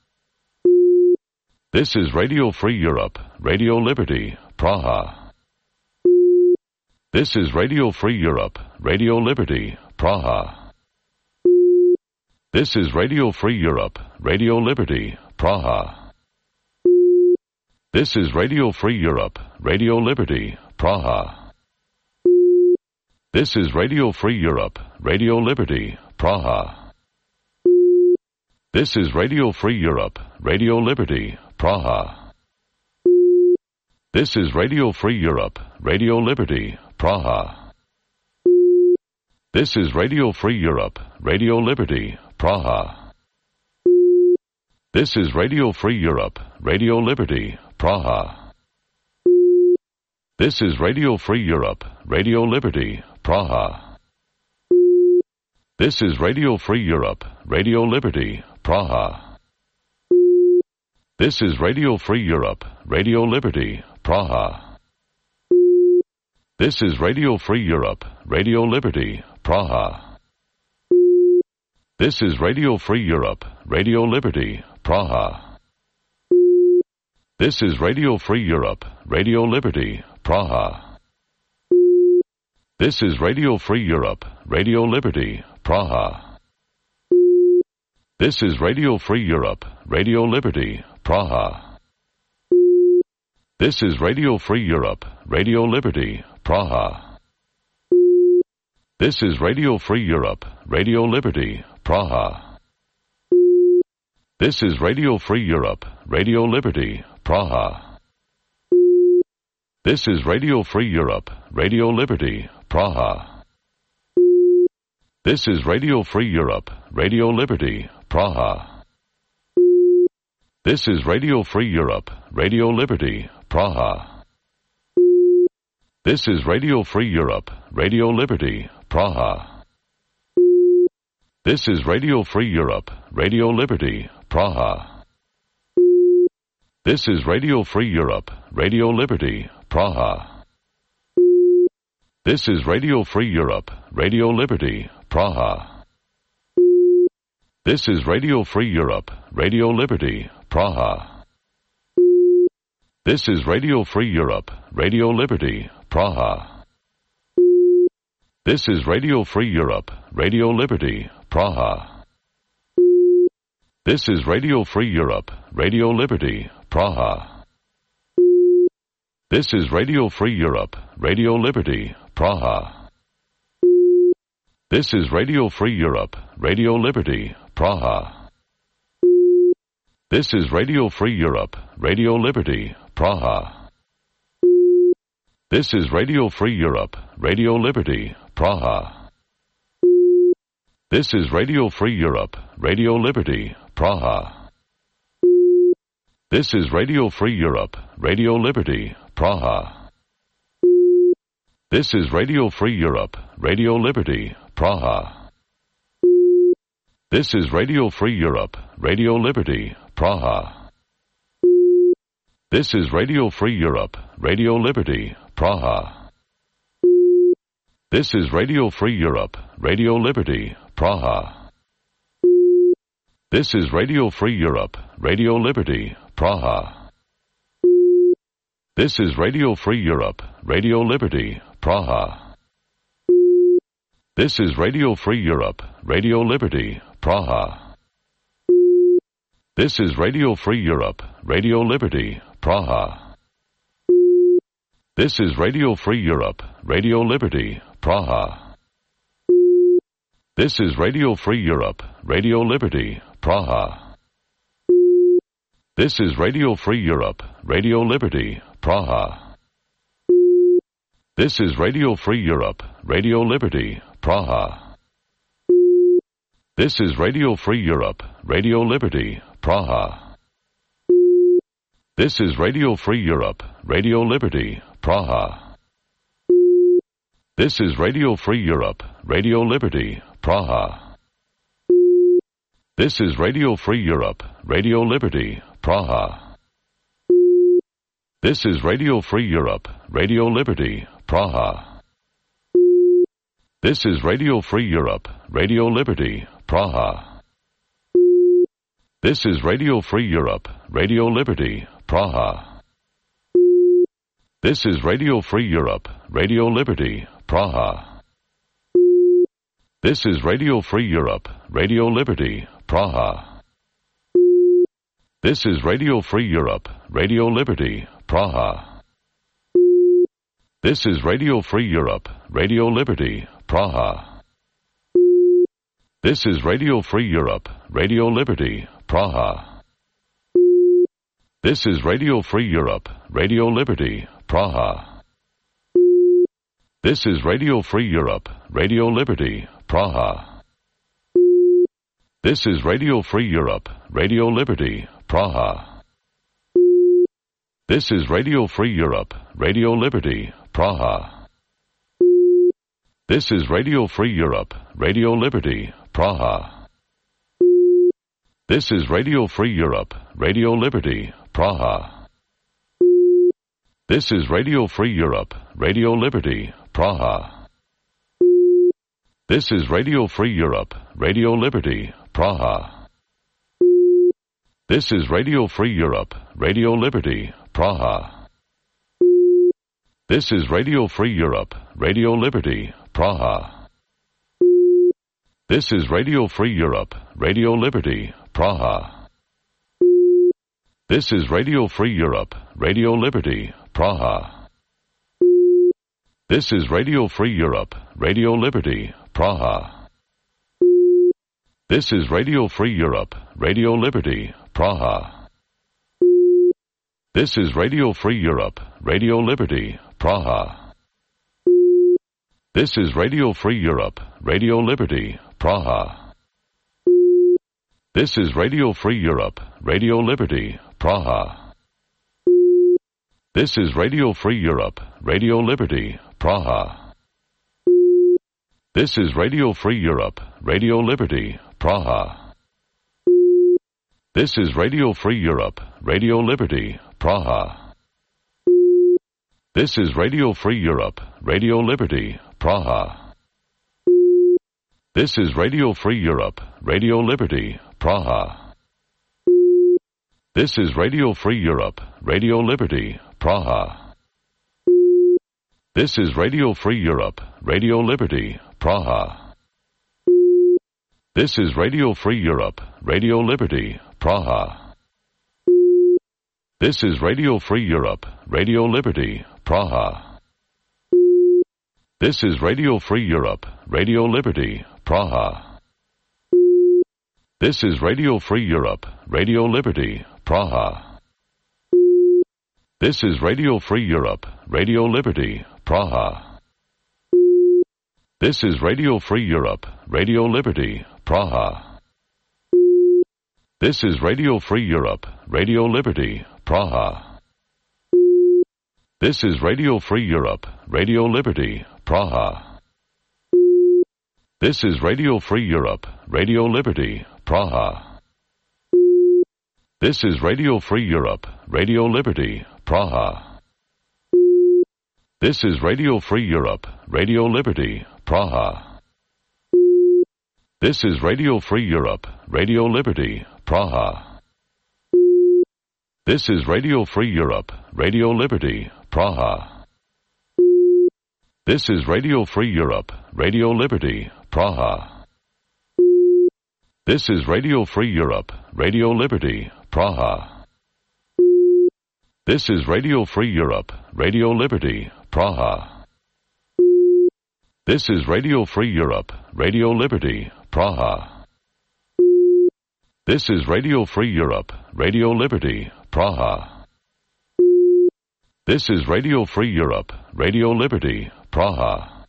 This is Radio Free Europe, Radio Liberty, Praha. This is Radio Free Europe, Radio Liberty, Praha. This is Radio Free Europe, Radio Liberty, Praha. This is Radio Free Europe, Radio Liberty, Praha. This is Radio Free Europe, Radio Liberty, Praha. This is Radio Free Europe, Radio Liberty, Praha. This is Radio Free Europe, Radio Liberty, Praha. This is Radio Free Europe, Radio Liberty, Praha. This is Radio Free Europe, Radio Liberty, Praha. This is Radio Free Europe, Radio Liberty, Praha. This is Radio Free Europe, Radio Liberty, Praha. This is Radio Free Europe, Radio Liberty, Praha. This is Radio Free Europe, Radio Liberty, Praha. This is Radio Free Europe, Radio Liberty, Praha. This is Radio Free Europe, Radio Liberty, Praha. This is Radio Free Europe, Radio Liberty, Praha. This is Radio Free Europe, Radio Liberty, Praha. This is Radio Free Europe, Radio Liberty, Praha. This is Radio Free Europe, Radio Liberty, Praha. This is Radio Free Europe, Radio Liberty, Praha. This is Radio Free Europe, Radio Liberty, Praha. This is Radio Free Europe, Radio Liberty, Praha. This is Radio Free Europe, Radio Liberty, Praha. This is Radio Free Europe, Radio Liberty, Praha. This is Radio Free Europe, Radio Liberty, Praha. This is Radio Free Europe, Radio Liberty, Praha. This is Radio Free Europe, Radio Liberty, Praha. This is Radio Free Europe, Radio Liberty, Praha. This is Radio Free Europe, Radio Liberty, Praha. This is Radio Free Europe, Radio Liberty, Praha. This is Radio Free Europe, Radio Liberty, Praha. This is Radio Free Europe, Radio Liberty, Praha. This is Radio Free Europe, Radio Liberty, Praha. This is Radio Free Europe, Radio Liberty, Praha. This is Radio Free Europe, Radio Liberty, Praha. This is Radio Free Europe, Radio Liberty, Praha. This is Radio Free Europe, Radio Liberty, Praha. This is Radio Free Europe, Radio Liberty, Praha. This is Radio Free Europe, Radio Liberty, Praha. This is Radio Free Europe, Radio Liberty, Praha. This is Radio Free Europe, Radio Liberty, Praha. This is Radio Free Europe, Radio Liberty, Praha. This is Radio Free Europe, Radio Liberty, Praha. This is Radio Free Europe, Radio Liberty, Praha. This is Radio Free Europe, Radio Liberty, Praha. This is Radio Free Europe, Radio Liberty, Praha. This is Radio Free Europe, Radio Liberty, Praha. This is Radio Free Europe, Radio Liberty, Praha. This is Radio Free Europe, Radio Liberty, Praha. This is Radio Free Europe, Radio Liberty, Praha. This is Radio Free Europe, Radio Liberty, Praha. This is Radio Free Europe, Radio Liberty, Praha. This is Radio Free Europe, Radio Liberty, Praha. This is Radio Free Europe, Radio Liberty, Praha. This is Radio Free Europe, Radio Liberty, Praha. This is Radio Free Europe, Radio Liberty, Praha. This is Radio Free Europe, Radio Liberty, Praha. This is Radio Free Europe, Radio Liberty, Praha. This is Radio Free Europe, Radio Liberty, Praha. This is Radio Free Europe, Radio Liberty, Praha. This is Radio Free Europe, Radio Liberty, Praha. This is Radio Free Europe, Radio Liberty, Praha. This is Radio Free Europe, Radio Liberty, Praha. This is Radio Free Europe, Radio Liberty, Praha. This is Radio Free Europe, Radio Liberty, Praha. This is Radio Free Europe, Radio Liberty, Praha. This is Radio Free Europe, Radio Liberty, Praha. This is Radio Free Europe, Radio Liberty, Praha. This is Radio Free Europe, Radio Liberty, Praha. This is Radio Free Europe, Radio Liberty, Praha. This is Radio Free Europe, Radio Liberty, Praha. This is Radio Free Europe, Radio Liberty, Praha. This is Radio Free Europe, Radio Liberty, Praha. This is Radio Free Europe, Radio Liberty, Praha. This is Radio Free Europe, Radio Liberty, Praha. This is Radio Free Europe, Radio Liberty, Praha. This is Radio Free Europe, Radio Liberty, Praha. This is Radio Free Europe, Radio Liberty, Praha. This is Radio Free Europe, Radio Liberty, Praha. This is Radio Free Europe, Radio Liberty, Praha. This is Radio Free Europe, Radio Liberty, Praha. This is Radio Free Europe, Radio Liberty, Praha. This is Radio Free Europe, Radio Liberty, Praha. This is Radio Free Europe, Radio Liberty, Praha. This is Radio Free Europe, Radio Liberty, Praha. This is Radio Free Europe, Radio Liberty, Praha. This is Radio Free Europe, Radio Liberty, Praha. This is Radio Free Europe, Radio Liberty, Praha. This is Radio Free Europe, Radio Liberty, Praha. This is Radio Free Europe, Radio Liberty, Praha. This is Radio Free Europe, Radio Liberty, Praha. This is Radio Free Europe, Radio Liberty, Praha. This is Radio Free Europe, Radio Liberty, Praha. This is Radio Free Europe, Radio Liberty, Praha. This is Radio Free Europe, Radio Liberty, Praha. This is Radio Free Europe, Radio Liberty, Praha. This is Radio Free Europe, Radio Liberty, Praha. This is Radio Free Europe, Radio Liberty, Praha. This is Radio Free Europe, Radio Liberty, Praha. This is Radio Free Europe, Radio Liberty, Praha. This is Radio Free Europe, Radio Liberty, Praha. This is Radio Free Europe, Radio Liberty, Praha. This is Radio Free Europe, Radio Liberty, Praha. This is Radio Free Europe, Radio Liberty, Praha.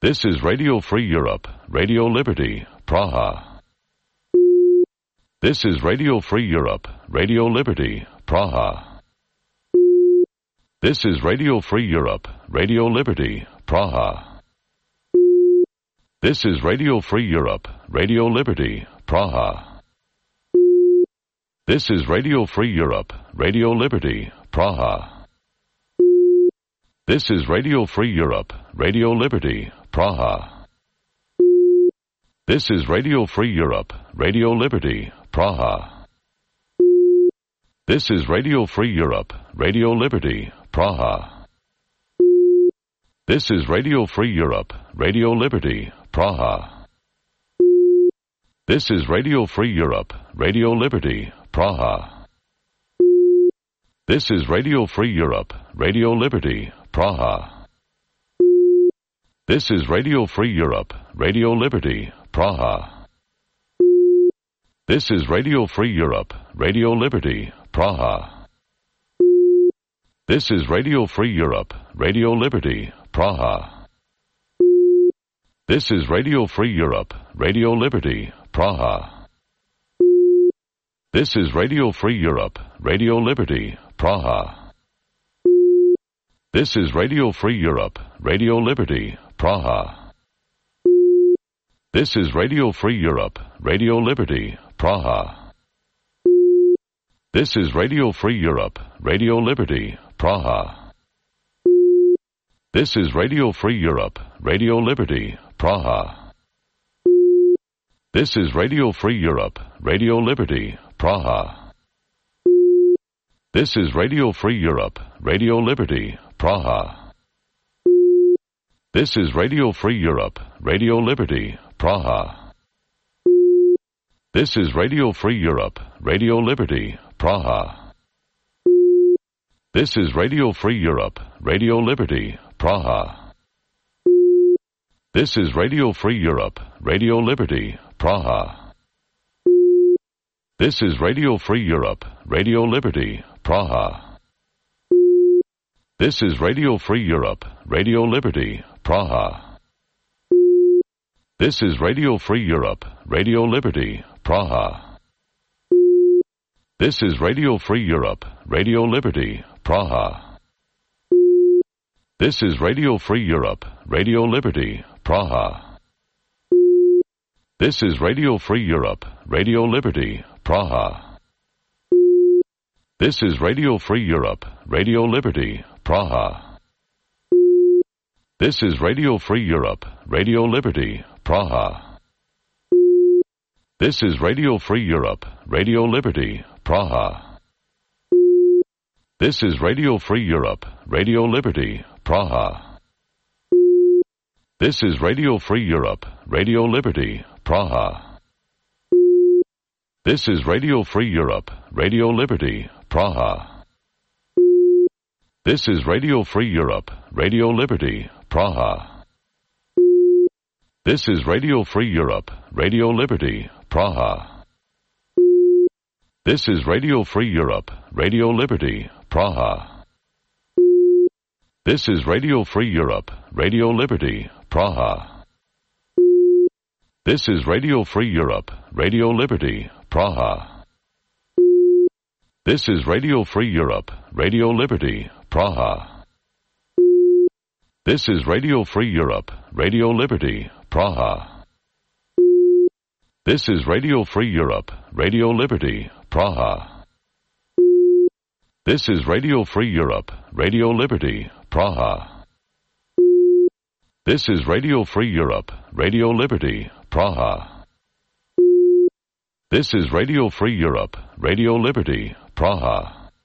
This is Radio Free Europe, Radio Liberty, Praha. This is Radio Free Europe, Radio Liberty, Praha. This is Radio Free Europe, Radio Liberty, Praha. This is Radio Free Europe, Radio Liberty, Praha. This is Radio Free Europe, Radio Liberty, Praha. This is Radio Free Europe, Radio Liberty, Praha. This is Radio Free Europe, Radio Liberty, Praha. This is Radio Free Europe, Radio Liberty, Praha. This is Radio Free Europe, Radio Liberty, Praha. This is Radio Free Europe, Radio Liberty, Praha. This is Radio Free Europe, Radio Liberty, Praha. This is Radio Free Europe, Radio Liberty, Praha. This is Radio Free Europe, Radio Liberty, Praha. This is Radio Free Europe, Radio Liberty, Praha. This is Radio Free Europe, Radio Liberty, Praha. This is Radio Free Europe, Radio Liberty, Praha. This is Radio Free Europe, Radio Liberty, Praha. This is Radio Free Europe, Radio Liberty, Praha. This is Radio Free Europe, Radio Liberty, Praha. This is Radio Free Europe, Radio Liberty, Praha. This is Radio Free Europe, Radio Liberty, Praha. This is Radio Free Europe, Radio Liberty, Praha. This is Radio Free Europe, Radio Liberty, Praha. This is Radio Free Europe, Radio Liberty, Praha. This is Radio Free Europe, Radio Liberty, Praha. This is Radio Free Europe, Radio Liberty, Praha. This is Radio Free Europe, Radio Liberty, Praha. This is Radio Free Europe, Radio Liberty, Praha. This is Radio Free Europe, Radio Liberty, Praha. This is Radio Free Europe, Radio Liberty, Praha. This is Radio Free Europe, Radio Liberty, Praha. This is Radio Free Europe, Radio Liberty, Praha. This is Radio Free Europe, Radio Liberty, Praha. This is Radio Free Europe, Radio Liberty, Praha. This is Radio Free Europe, Radio Liberty, Praha. This is Radio Free Europe, Radio Liberty, Praha. This is Radio Free Europe, Radio Liberty, Praha. This is Radio Free Europe, Radio Liberty, Praha. This is Radio Free Europe, Radio Liberty, Praha. This is Radio Free Europe, Radio Liberty, Praha. This is Radio Free Europe, Radio Liberty, Praha. This is Radio Free Europe, Radio Liberty, Praha. This is Radio Free Europe, Radio Liberty, Praha. This is Radio Free Europe, Radio Liberty, Praha. This is Radio Free Europe, Radio Liberty, Praha. This is Radio Free Europe, Radio Liberty, Praha. This is Radio Free Europe, Radio Liberty, Praha. This is Radio Free Europe, Radio Liberty, Praha. This is Radio Free Europe, Radio Liberty, Praha.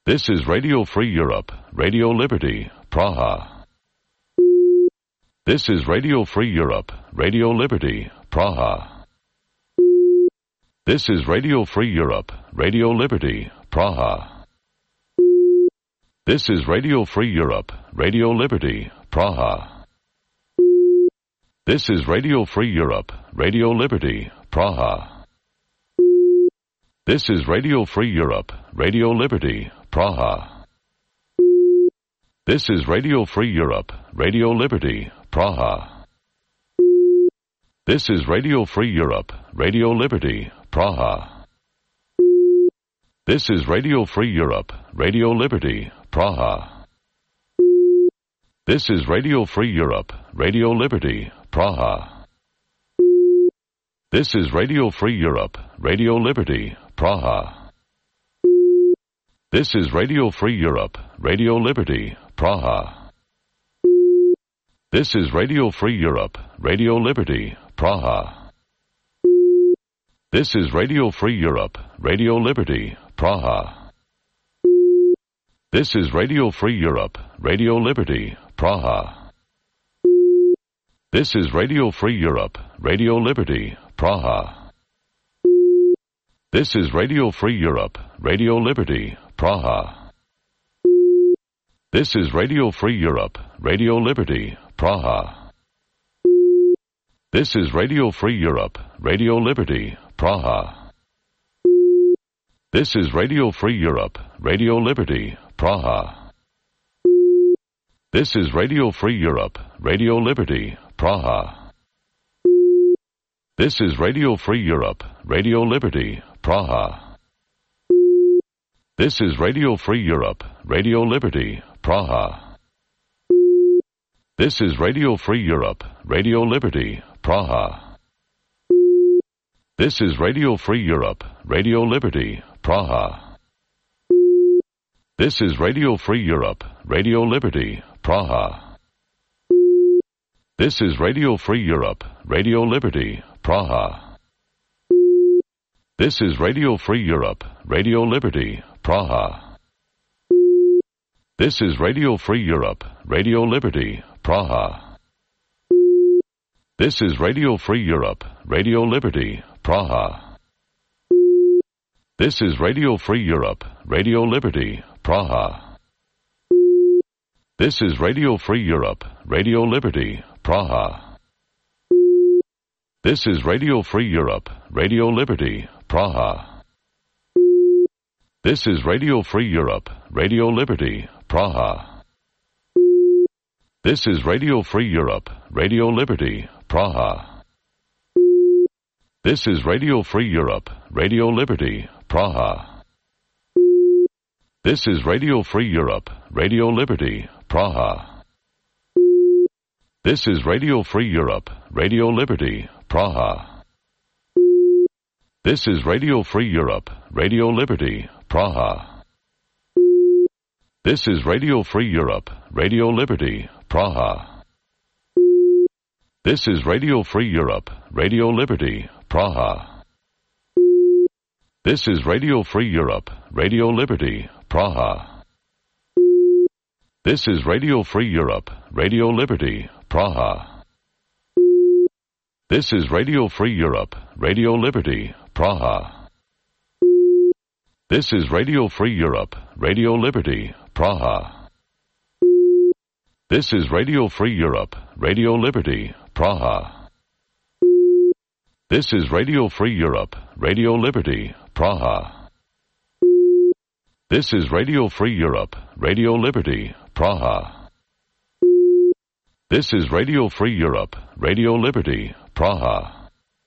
This is Radio Free Europe, Radio Liberty, Praha. This is Radio Free Europe, Radio Liberty, Praha. This is Radio Free Europe, Radio Liberty, Praha. This is Radio Free Europe, Radio Liberty, Praha. This is Radio Free Europe, Radio Liberty, Praha. This is Radio Free Europe, Radio Liberty, Praha. This is Radio Free Europe, Radio Liberty, Praha. This is Radio Free Europe, Radio Liberty, Praha. This is Radio Free Europe, Radio Liberty, Praha. This is Radio Free Europe, Radio Liberty, Praha. This is Radio Free Europe, Radio Liberty, Praha. This is Radio Free Europe, Radio Liberty, Praha. This is Radio Free Europe, Radio Liberty, Praha. This is Radio Free Europe, Radio Liberty, Praha. This is Radio Free Europe, Radio Liberty, Praha. This is Radio Free Europe, Radio Liberty, Praha. This is Radio Free Europe, Radio Liberty, Praha. This is Radio Free Europe, Radio Liberty, Praha. This is Radio Free Europe, Radio Liberty, Praha. This is Radio Free Europe, Radio Liberty, Praha. This is Radio Free Europe, Radio Liberty, Praha. This is Radio Free Europe, Radio Liberty, Praha. This is Radio Free Europe, Radio Liberty, Praha. This is Radio Free Europe, Radio Liberty, Praha. This is Radio Free Europe, Radio Liberty, Praha. This is Radio Free Europe, Radio Liberty, Praha. This is Radio Free Europe, Radio Liberty, Praha. This is Radio Free Europe, Radio Liberty, Praha. This is Radio Free Europe, Radio Liberty, Praha. This is Radio Free Europe, Radio Liberty, Praha. This is Radio Free Europe, Radio Liberty, Praha. This is Radio Free Europe, Radio Liberty, Praha. This is Radio Free Europe, Radio Liberty, Praha. This is Radio Free Europe, Radio Liberty, Praha. This is Radio Free Europe, Radio Liberty, Praha. This is Radio Free Europe, Radio Liberty, Praha. This is Radio Free Europe, Radio Liberty, Praha. This is Radio Free Europe, Radio Liberty, Praha. This is Radio Free Europe, Radio Liberty, Praha. This is Radio Free Europe, Radio Liberty, Praha. This is Radio Free Europe, Radio Liberty, Praha. This is Radio Free Europe, Radio Liberty, Praha. This is Radio Free Europe, Radio Liberty, Praha. This is Radio Free Europe, Radio Liberty, Praha. This is Radio Free Europe, Radio Liberty, Praha. This is Radio Free Europe, Radio Liberty, Praha. This is Radio Free Europe, Radio Liberty, Praha. This is Radio Free Europe, Radio Liberty, Praha. This is Radio Free Europe, Radio Liberty, Praha.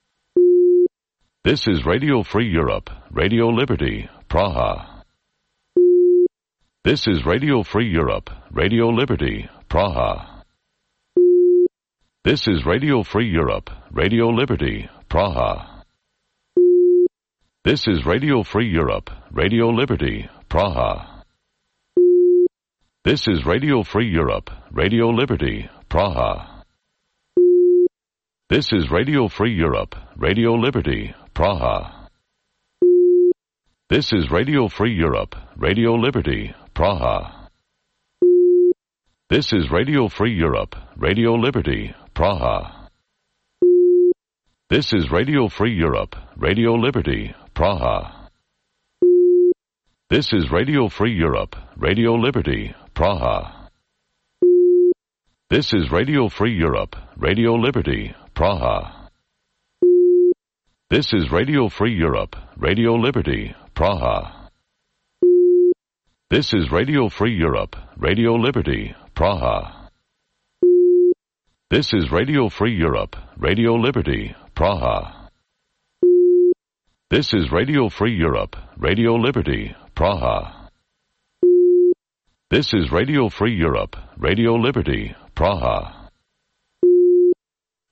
This is Radio Free Europe, Radio Liberty, Praha. This is Radio Free Europe, Radio Liberty, Praha. This is Radio Free Europe, Radio Liberty, Praha. This is Radio Free Europe, Radio Liberty, Praha. This is Radio Free Europe, Radio Liberty, Praha. This is Radio Free Europe, Radio Liberty, Praha. This is Radio Free Europe, Radio Liberty, Praha. This is Radio Free Europe, Radio Liberty, Praha. This is Radio Free Europe, Radio Liberty, Praha. This is Radio Free Europe, Radio Liberty, Praha. This is Radio Free Europe, Radio Liberty, Praha. This is Radio Free Europe, Radio Liberty, Praha. This is Radio Free Europe, Radio Liberty, Praha. This is Radio Free Europe, Radio Liberty, Praha. This is Radio Free Europe, Radio Liberty, Praha. This is Radio Free Europe, Radio Liberty, Praha.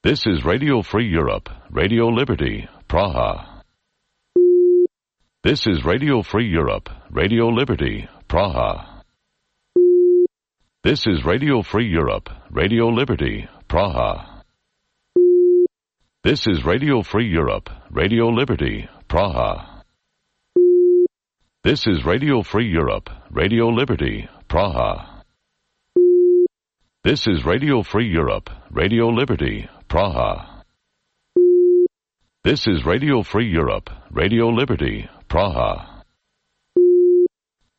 This is Radio Free Europe, Radio Liberty, Praha. This is Radio Free Europe, Radio Liberty, Praha. This is Radio Free Europe, Radio Liberty, Praha. This is Radio Free Europe, Radio Liberty, Praha. This is Radio Free Europe, Radio Liberty, Praha. This is Radio Free Europe, Radio Liberty, Praha. This is Radio Free Europe, Radio Liberty, Praha.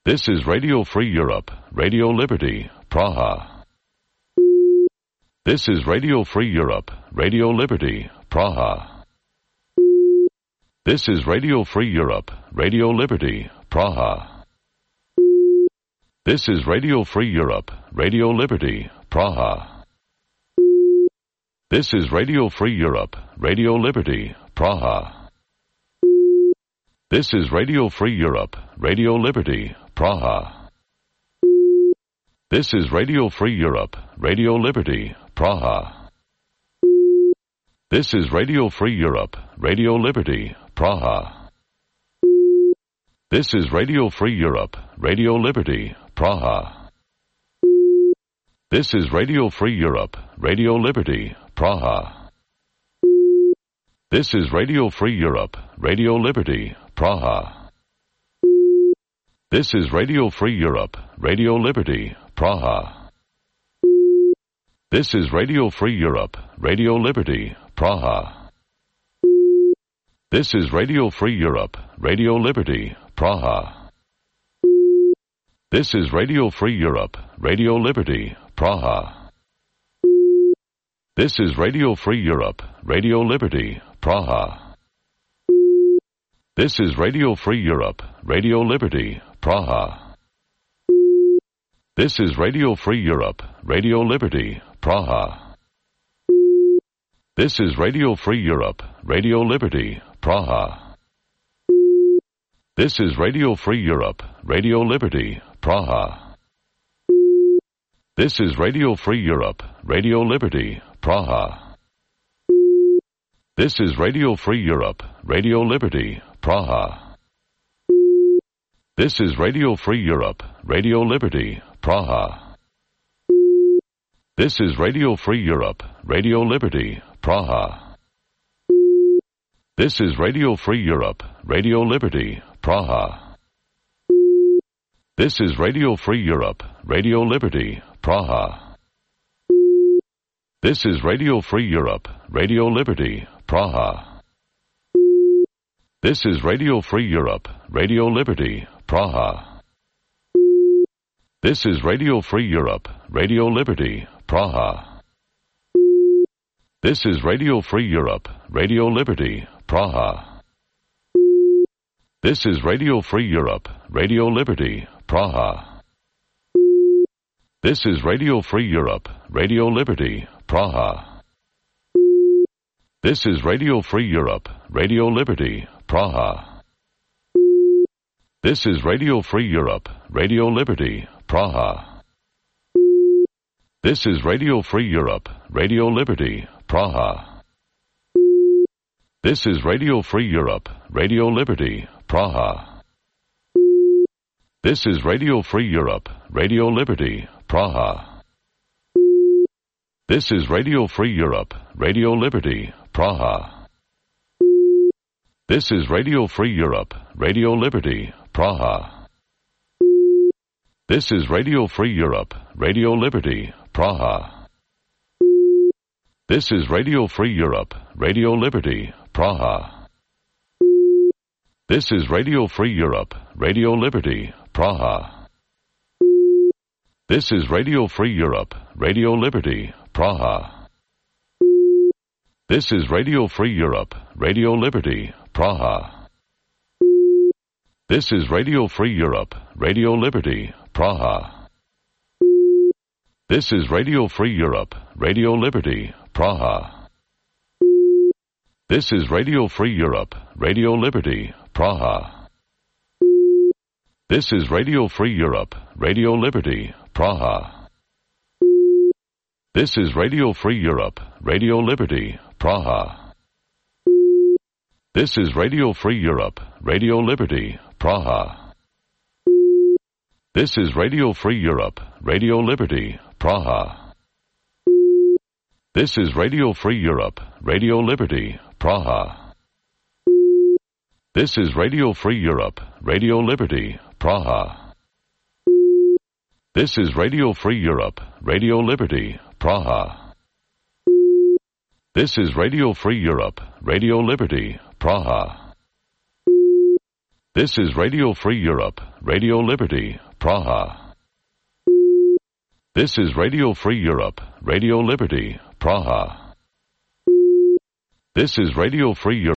This is Radio Free Europe, Radio Liberty, Praha. This is Radio Free Europe, Radio Liberty, Praha. This is Radio Free Europe, Radio Liberty, Praha. This is Radio Free Europe, Radio Liberty, Praha. This is Radio Free Europe, Radio Liberty, Praha. This is Radio Free Europe, Radio Liberty, Praha. This is Radio Free Europe, Radio Liberty, Praha. This is Radio Free Europe, Radio Liberty, Praha. This is Radio Free Europe, Radio Liberty, Praha. This is Radio Free Europe, Radio Liberty, Praha. This is Radio Free Europe, Radio Liberty, Praha. This is Radio Free Europe, Radio Liberty, Praha. This is Radio Free Europe, Radio Liberty, Praha. This is Radio Free Europe, Radio Liberty, Praha. This is Radio Free Europe, Radio Liberty, Praha. This is Radio Free Europe, Radio Liberty, Praha. This is Radio Free Europe, Radio Liberty, Praha. This is Radio Free Europe, Radio Liberty, Praha. This is Radio Free Europe, Radio Liberty, Praha. This is Radio Free Europe, Radio Liberty, Praha. This is Radio Free Europe, Radio Liberty, Praha. This is Radio Free Europe, Radio Liberty, Praha. This is Radio Free Europe, Radio Liberty, Praha. This is Radio Free Europe, Radio Liberty, Praha. This is Radio Free Europe, Radio Liberty, Praha. This is Radio Free Europe, Radio Liberty, Praha. This is Radio Free Europe, Radio Liberty, Praha. This is Radio Free Europe, Radio Liberty, Praha. This is Radio Free Europe, Radio Liberty, Praha. This is Radio Free Europe, Radio Liberty, Praha. This is Radio Free Europe, Radio Liberty, Praha. This is Radio Free Europe, Radio Liberty, Praha. This is Radio Free Europe, Radio Liberty, Praha. This is Radio Free Europe, Radio Liberty, Praha. This is Radio Free Europe, Radio Liberty, Praha. This is Radio Free Europe, Radio Liberty, Praha. This is Radio Free Europe, Radio Liberty, Praha. This is Radio Free Europe, Radio Liberty, Praha. This is Radio Free Europe, Radio Liberty, Praha. This is Radio Free Europe, Radio Liberty, Praha. This is Radio Free Europe, Radio Liberty, Praha. This is Radio Free Europe, Radio Liberty, Praha. This is Radio Free Europe, Radio Liberty, Praha. This is Radio Free Europe, Radio Liberty, Praha. This is Radio Free Europe, Radio Liberty, Praha. This is Radio Free Europe, Radio Liberty, Praha. This is Radio Free Europe, Radio Liberty, Praha. This is Radio Free Europe, Radio Liberty, Praha. This is Radio Free Europe, Radio Liberty, Praha. This is Radio Free Europe, Radio Liberty, Praha. This is Radio Free Europe, Radio Liberty, Praha. This is Radio Free Europe, Radio Liberty, Praha. This is Radio Free Europe, Radio Liberty, Praha. This is Radio Free Europe, Radio Liberty, Praha. This is Radio Free Europe, Radio Liberty, Praha. This is Radio Free Europe, Radio Liberty, Praha. This is Radio Free Europe, Radio Liberty, Praha. This is Radio Free Europe.